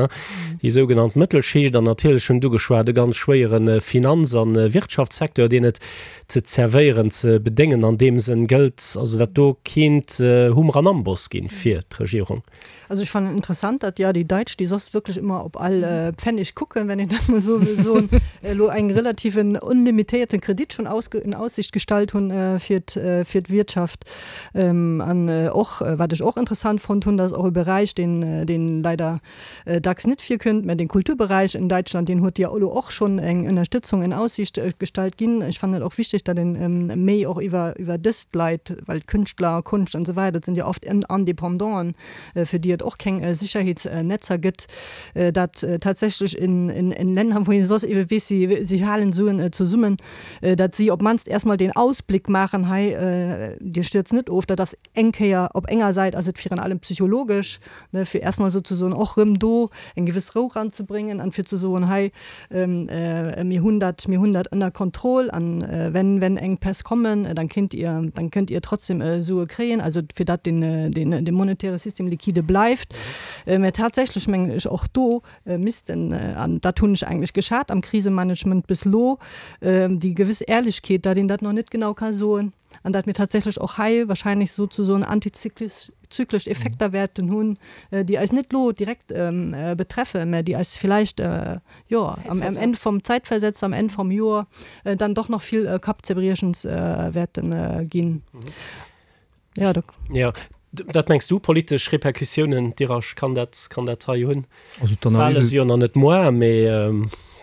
déi sougenannt Mëttelschicht an natierlech hunn d'ugeschwat e ganz schwéiere Finanz a Wirtschaftssecteur, deen et ze zerwéieren, ze bedéngen an deem Sënn gëllt. Also dat do kéint Hummer an Amboss ginn fir d'Regierung.
Also ich fand interessant, dat ja déi Deitsch, déi soss wierklech ëmmer op all Pfennig kucken, wenn een dat mol esou wëll soen, elo eng relativen unlimitéierten Kredit schon ausge in Aussicht gestallt hunn fir fir d'Wirtschaft. An och, wat ech och interessant fonnt hunn, dat ass och e Beräich, deen deen leider dacks net virkënnt, mä den Kulturberäich in Deutschland, deen huet jo elo och schonn eng Ënnerstëtzung in Aussicht gestallt ginn. Ech fannen et och wichteg, datt een méi och iwwer iwwer dëst Leit, well Kënschtler, Konscht an esou weider, dat sinn jo oft Independanten, fir déi et och keng Sicherheetsnetzer gëtt, dat tatsächlech in in in Länder, wou ee soss ebe weess, si si halen Suen zesummen, datt si op d'mannst erstmol deen Ausblick maachen, hei, Dir stierzt net of, dat ass eng Kéier op enger Säit ass et virun allem psychologesch, ne, fir erstmol souzesoen och rëm do eng gewëss Rou ranzebréngen an fir ze soen, hei, mir hunn dat, mir hunn dat ënner Kontroll an wenn, wenn Enkpäss kommen, dann kéint Dir, dann kënnt Dir trotzdem Sue kréien, also fir datt den, den, de monetäre System liquide bleift. Mä tatsächlech mengen ech och do missten, an dat hunn ech eigentlech geschat am Krisemanagement bis elo, déi gewëss Ehrlechkeet, datt een dat nach net genau ka soen, an dat mir tatsächlech och hei wahrscheinlech souzesoen antizyklesch Effekter wäerten hunn, déi eis net elo direkt betreffen, mä déi eis villäicht, jo, am Enn vum Zäitversetzt, am Enn vum Joer dann doch nach vill Kappzerbriechens wäerte ginn.
Jo, do. Jo, wat mengs du, politesch Repercussiounen, Dirasch, kann dat, kann dat hei hunn?
Also d'Analyse.
D'Wale si jo nach net moar, mee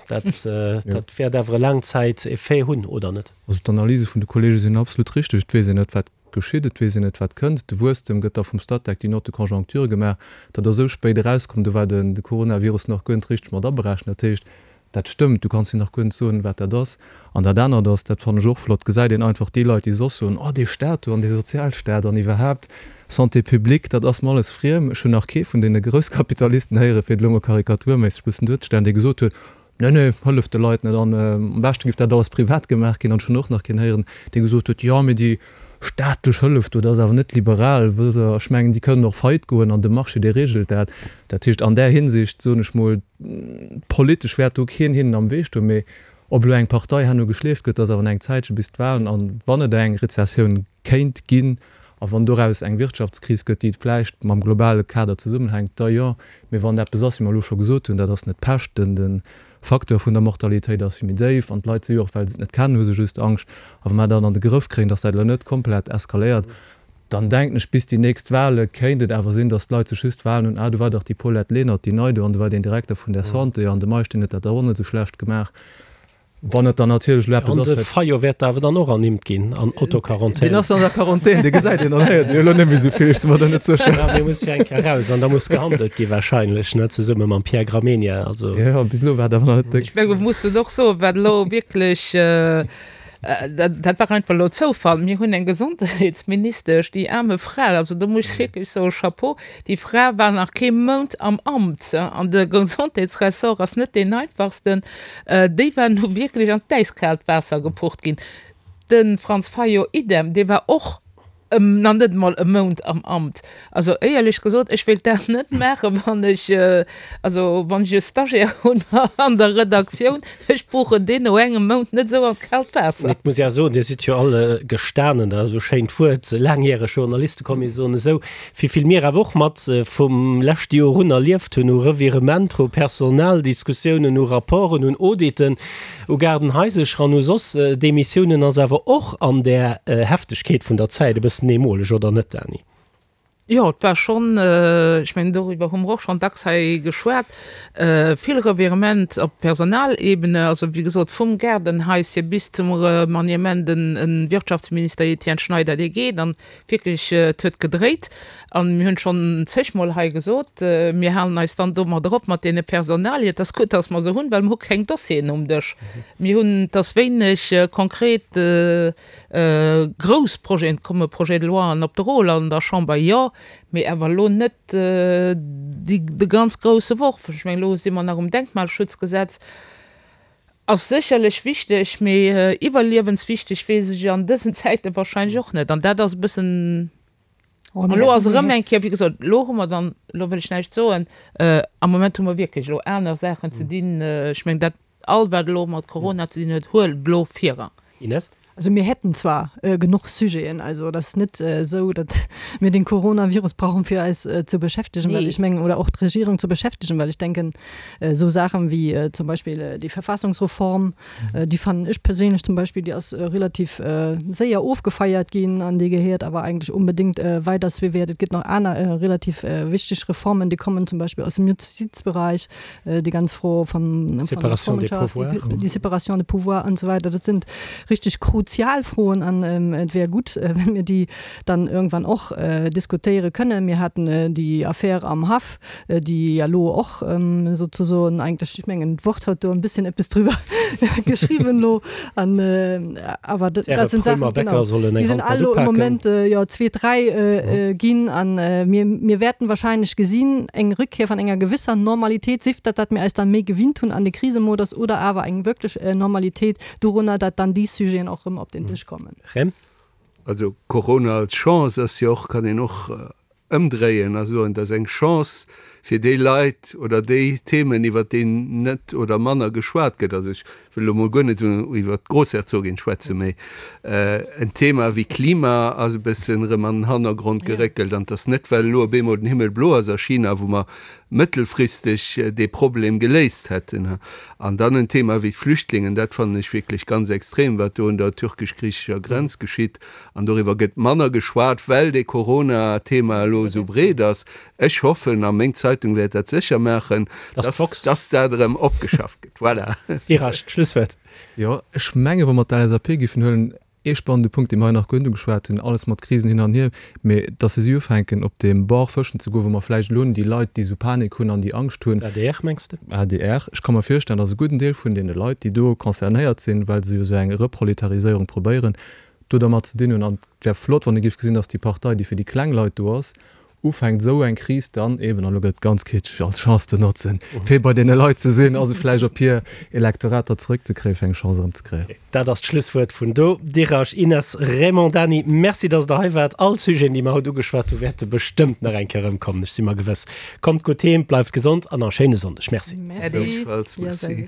dat, dat wäert awer e Laangzäiteffet hunn, oder net?
Also d'Analyse vun de Kollege sinn absolut richteg. Et weess een net, wat geschitt, et weess een net, wat kënnt. De Wuesstem gëtt da vum Statec, déi Note de conjoncture gemaach. Dat ass esou spéit erauskomm, do war de Coronavirus nach guer net richteg mat aberechent. Dat heescht, Dat stëmmt, du kanns jo nach guer net soen, wat dat ass. An dat anert ass, dat fannen ech och flott, gesäit een einfach déi Leit, déi soss soen, oh dee Staat do an dee Sozialstaat an iwwerhaapt Santé publique, dat ass mer alles friem. Ech hunn nach kee vun deene Grousskapitalisten héieren, fir et elo mol karikaturméisseg e bëssen duerzestellen, dee gesot huet, nee, nee, hëlleft de Leit net an am beschte giff dat alles privat gemaach ginn. An ech hunn och nach keen héieren, dee gesot huet, jo, mee déi staatlech Hëllef do, dat ass awer net liberal, wëll se, ech mengen, déi kënnen och faillite goen an de Marché, dee regelt dat. Dat heescht, an där Hinsicht, soen ech mol, Politesch wäert do keen hinnen am Wee stoen, mee ob elo eng Partei herno geschleeft gëtt, ass awer nach eng Zäitche bis d'Wahlen. An wann et eng Rezessioun kéint ginn a wann doraus eng Wirtschaftskris gëtt, déi vläicht mam globale Kader zesummenhänkt, da jo. Mee wann eppes ass, wéi mer elo scho gesot hunn, dat ass net Pech, den de Facteur vun der Mortalitéit ass vill méi déif an d'Leit si jo och, well se et net kennen, hu se just Angscht. A wa mer dat an de Grëff kréien, datt dat elo net komplett eskaléiert,. Dann denken ech, bis déi nächst Wahle kéint et awer sinn, datt d'Leit sech just Wahlen hunn, ah do war dach déi Paulette Lenert, déi nei do, an do war deen Direkter vun der Santé, an de Meisch, deen huet dat dach och net esou schlecht gemaach. Wann et dann natierlech elo eppes
ass, wat. An de Fayot wäert awer dann och ernimmt ginn an Autoquarantän.
Deen ass an der Quarantän, dee gesäit een an héiert een jo elo net méi esou vill, ech si mer do net sécher.
Ja, dee muss jo eng Kéier eraus an da muss gehandelt gi wahrscheinlech, ne, zesumme mam Pierre Gramegna, also.
Jo, bis elo war et awer nach net
déck. Ech menge mir mussen och soen, wat elo wierklech Dat war einfach elo Zoufall. Mir hunn eng Gesondheetsministesch, déi aarme Fra, also do muss ech wierklech soen, Chapeau, déi Fra war nach kee Mount am Amt an de Gesondheetsressort ass net deen einfachsten, déi war nu wierklech an d'äiskaalt Waasser gepucht ginn. De Franz Fayot idem, dee war och nach net emol e Mount am Amt. Also éierlech gesot, ech wéilt dat net maachen, wann ech, also wann ech e Stagiaire hunn an der Redaktioun, ech puchen deen no engem Mount net esou an d'kaalt Waasser.
Mee et muss ee awer soen, Dir sidd jo all gestanen, dat ass esou e schéint Wuert, laangjäreg Journaliste, komm mir soen esou, wéi vill mir awer och mat vum leschte Joer un erlieft hunn u Revirementer, u Personaldiskussiounen, u Rapporten, un Auditen, U Gaardenhaisercher an u soss Demissiounen ass awer och an där Heftegkeet vun der Zäit e bëssen eemoleg, oder net, Dany?
Jo, et war schonn, ech mengen, doriwwer hu mer och schonn dacks hei geschwat, vill Revirement op Personalebene, also wéi gesot vum Gaardenhaische bis zum Remaniement, den Wirtschaftsminister Etienne Schneider, dee geet an wierklech, et huet gedréit. An mir hunn schonn zegmol hei gesot, mir halen eis dann domadder op mat deene Personalien. Et ass gutt, dass mer se hunn, well mer hu keng Dossieren um Dësch. Mir hunn, et ass wéineg konkret grouss Projeten. Et komme Projet-de-loien op de Rôle an der Chamber, jo, mee awer elo net déi, de ganz grousse Worf. Ech mengen, elo si mer nach um Denkmalschutzgesetz. Ass sécherlech wichteg, mee iwwerliewenswichteg weess ech an dësen Zäite wahrscheinlech och net. An dat ass e bëssen. An elo ass erëm eng Kéier, wéi gesot, elo hu mer dann, elo wëll ech näischt soen, am Moment hu mer wierklech elo aner Saachen ze dinn. Ech mengen, dat all, wat elo mat Corona ze dinn huet, huelt elo Virrang.
Ines?
Also mir hätten zwar genuch Sujeten, also et ass net esou, datt mir den Coronavirus brauchen, fir eis ze beschäftegen, well ech mengen, oder och d'Regierung ze beschäftegen, well ech denken, esou Saachen wéi zum Beispill déi Verfassungsreform, Déi fannen ech perséinlech zum Beispill, déi ass relativ séier ofgefeiert ginn an déi gehéiert awer eigentlech onbedéngt weider suivéiert. Et gëtt nach aner relativ wichteg Reformen, déi kommen zum Beispill aus dem Justizbereich, déi ganz Fro vun der
Séparation des pouvoirs,
déi Séparation des pouvoirs an esou weider. Dat sinn richteg kruzial Froen an et wär gutt, wenn mir déi dann irgendwann och diskutéiere kënnen. Mir haten déi Affär am Haff, déi ja elo och souzesoen eigentlech, ech mengen d'Wort huet do e bësschen eppes driwwer geschriwwen elo, an awer dat sinn Saachen, genau, déi sinn all elo im Moment jo zweet Rei ginn an mir, mir wäerten wahrscheinlech gesinn eng Rückkehr van enger gewisser Normalitéit, sief dat, dat mir eis dann méi gewinnt hunn an de Krisemodus oder awer eng wierklech Normalitéit dorunner, dat dann déi Sujeten och erëm op den Dësch kommen.
Rem.
Also Corona als Chance ass jo och, kann een och ëmdréien a soen, et ass eng Chance fir déi Leit oder déi Themen, iwwert déi net oder manner geschwat gëtt. Also ech wëll elo mol guer net iwwert d'Groussherzogin schwätzen, mä en Thema wéi Klima ass e bëssen erëm an den Hannergrond geréckelt. An et ass net, well elo op eemol den Himmel blo ass a China, wou mer mëttelfristeg dee Problem geléist hätten. An dann en Thema wéi d'Flüchtlingen, dat fannen ech wierklech ganz extrem, wat do un der türkesch-griichescher Grenz geschitt. An doriwwer gëtt manner geschwat, well dee Corona-Thema elo esou breet ass. Ech hoffen, a meng Zeitung wäert dat sécher maachen, dass dat erëm opgeschafft gëtt. Voilà.
Dirasch, d'Schlusswuert.
Jo, ech menge wa mer d'LSAP géifen huelen, ee spannende Punkt, dee mer hei nach guer net ugeschwat hunn, alles mat Krisen hin an hier, mee dass se si ufänken op deem Bord fëschen ze goen, wou mer vläicht elo déi Leit, déi esou Panik hunn an déi Angscht hunn.
Adr, mengs de?
Adr. Ech ka mer virstellen, dass e gudden Deel vun deene Leit, déi do concernéiert sinn, well se jo esou eng Reproletariséierung probéieren, do dermat ze dinn hunn. An et wär flott, wann ee géif gesinn, dass déi Partei, déi fir déi kleng Leit do ass, ufänkt esou eng Kris dann eben, an elo gëtt et ganz kitscheg, als Chance ze notzen, fir bei deene Leit ze sinn a se vläicht op hir Elektorater zeréckzekréien, fir eng Chance erëmzekréien.
Dat ass d'Schlusswuert vun do. Dirasch, Ines, Raymond, Dany, Merci, dass Der hei waart. All d'Sujeten, déi mer haut ugeschwat hunn, wäerte bestëmmt nach eng Kéier erëmkommen, ech si mer gewëss. Kommt gutt heem, bleift gesond an a schéine Sonndeg. Merci.
Gläichfalls, Merci.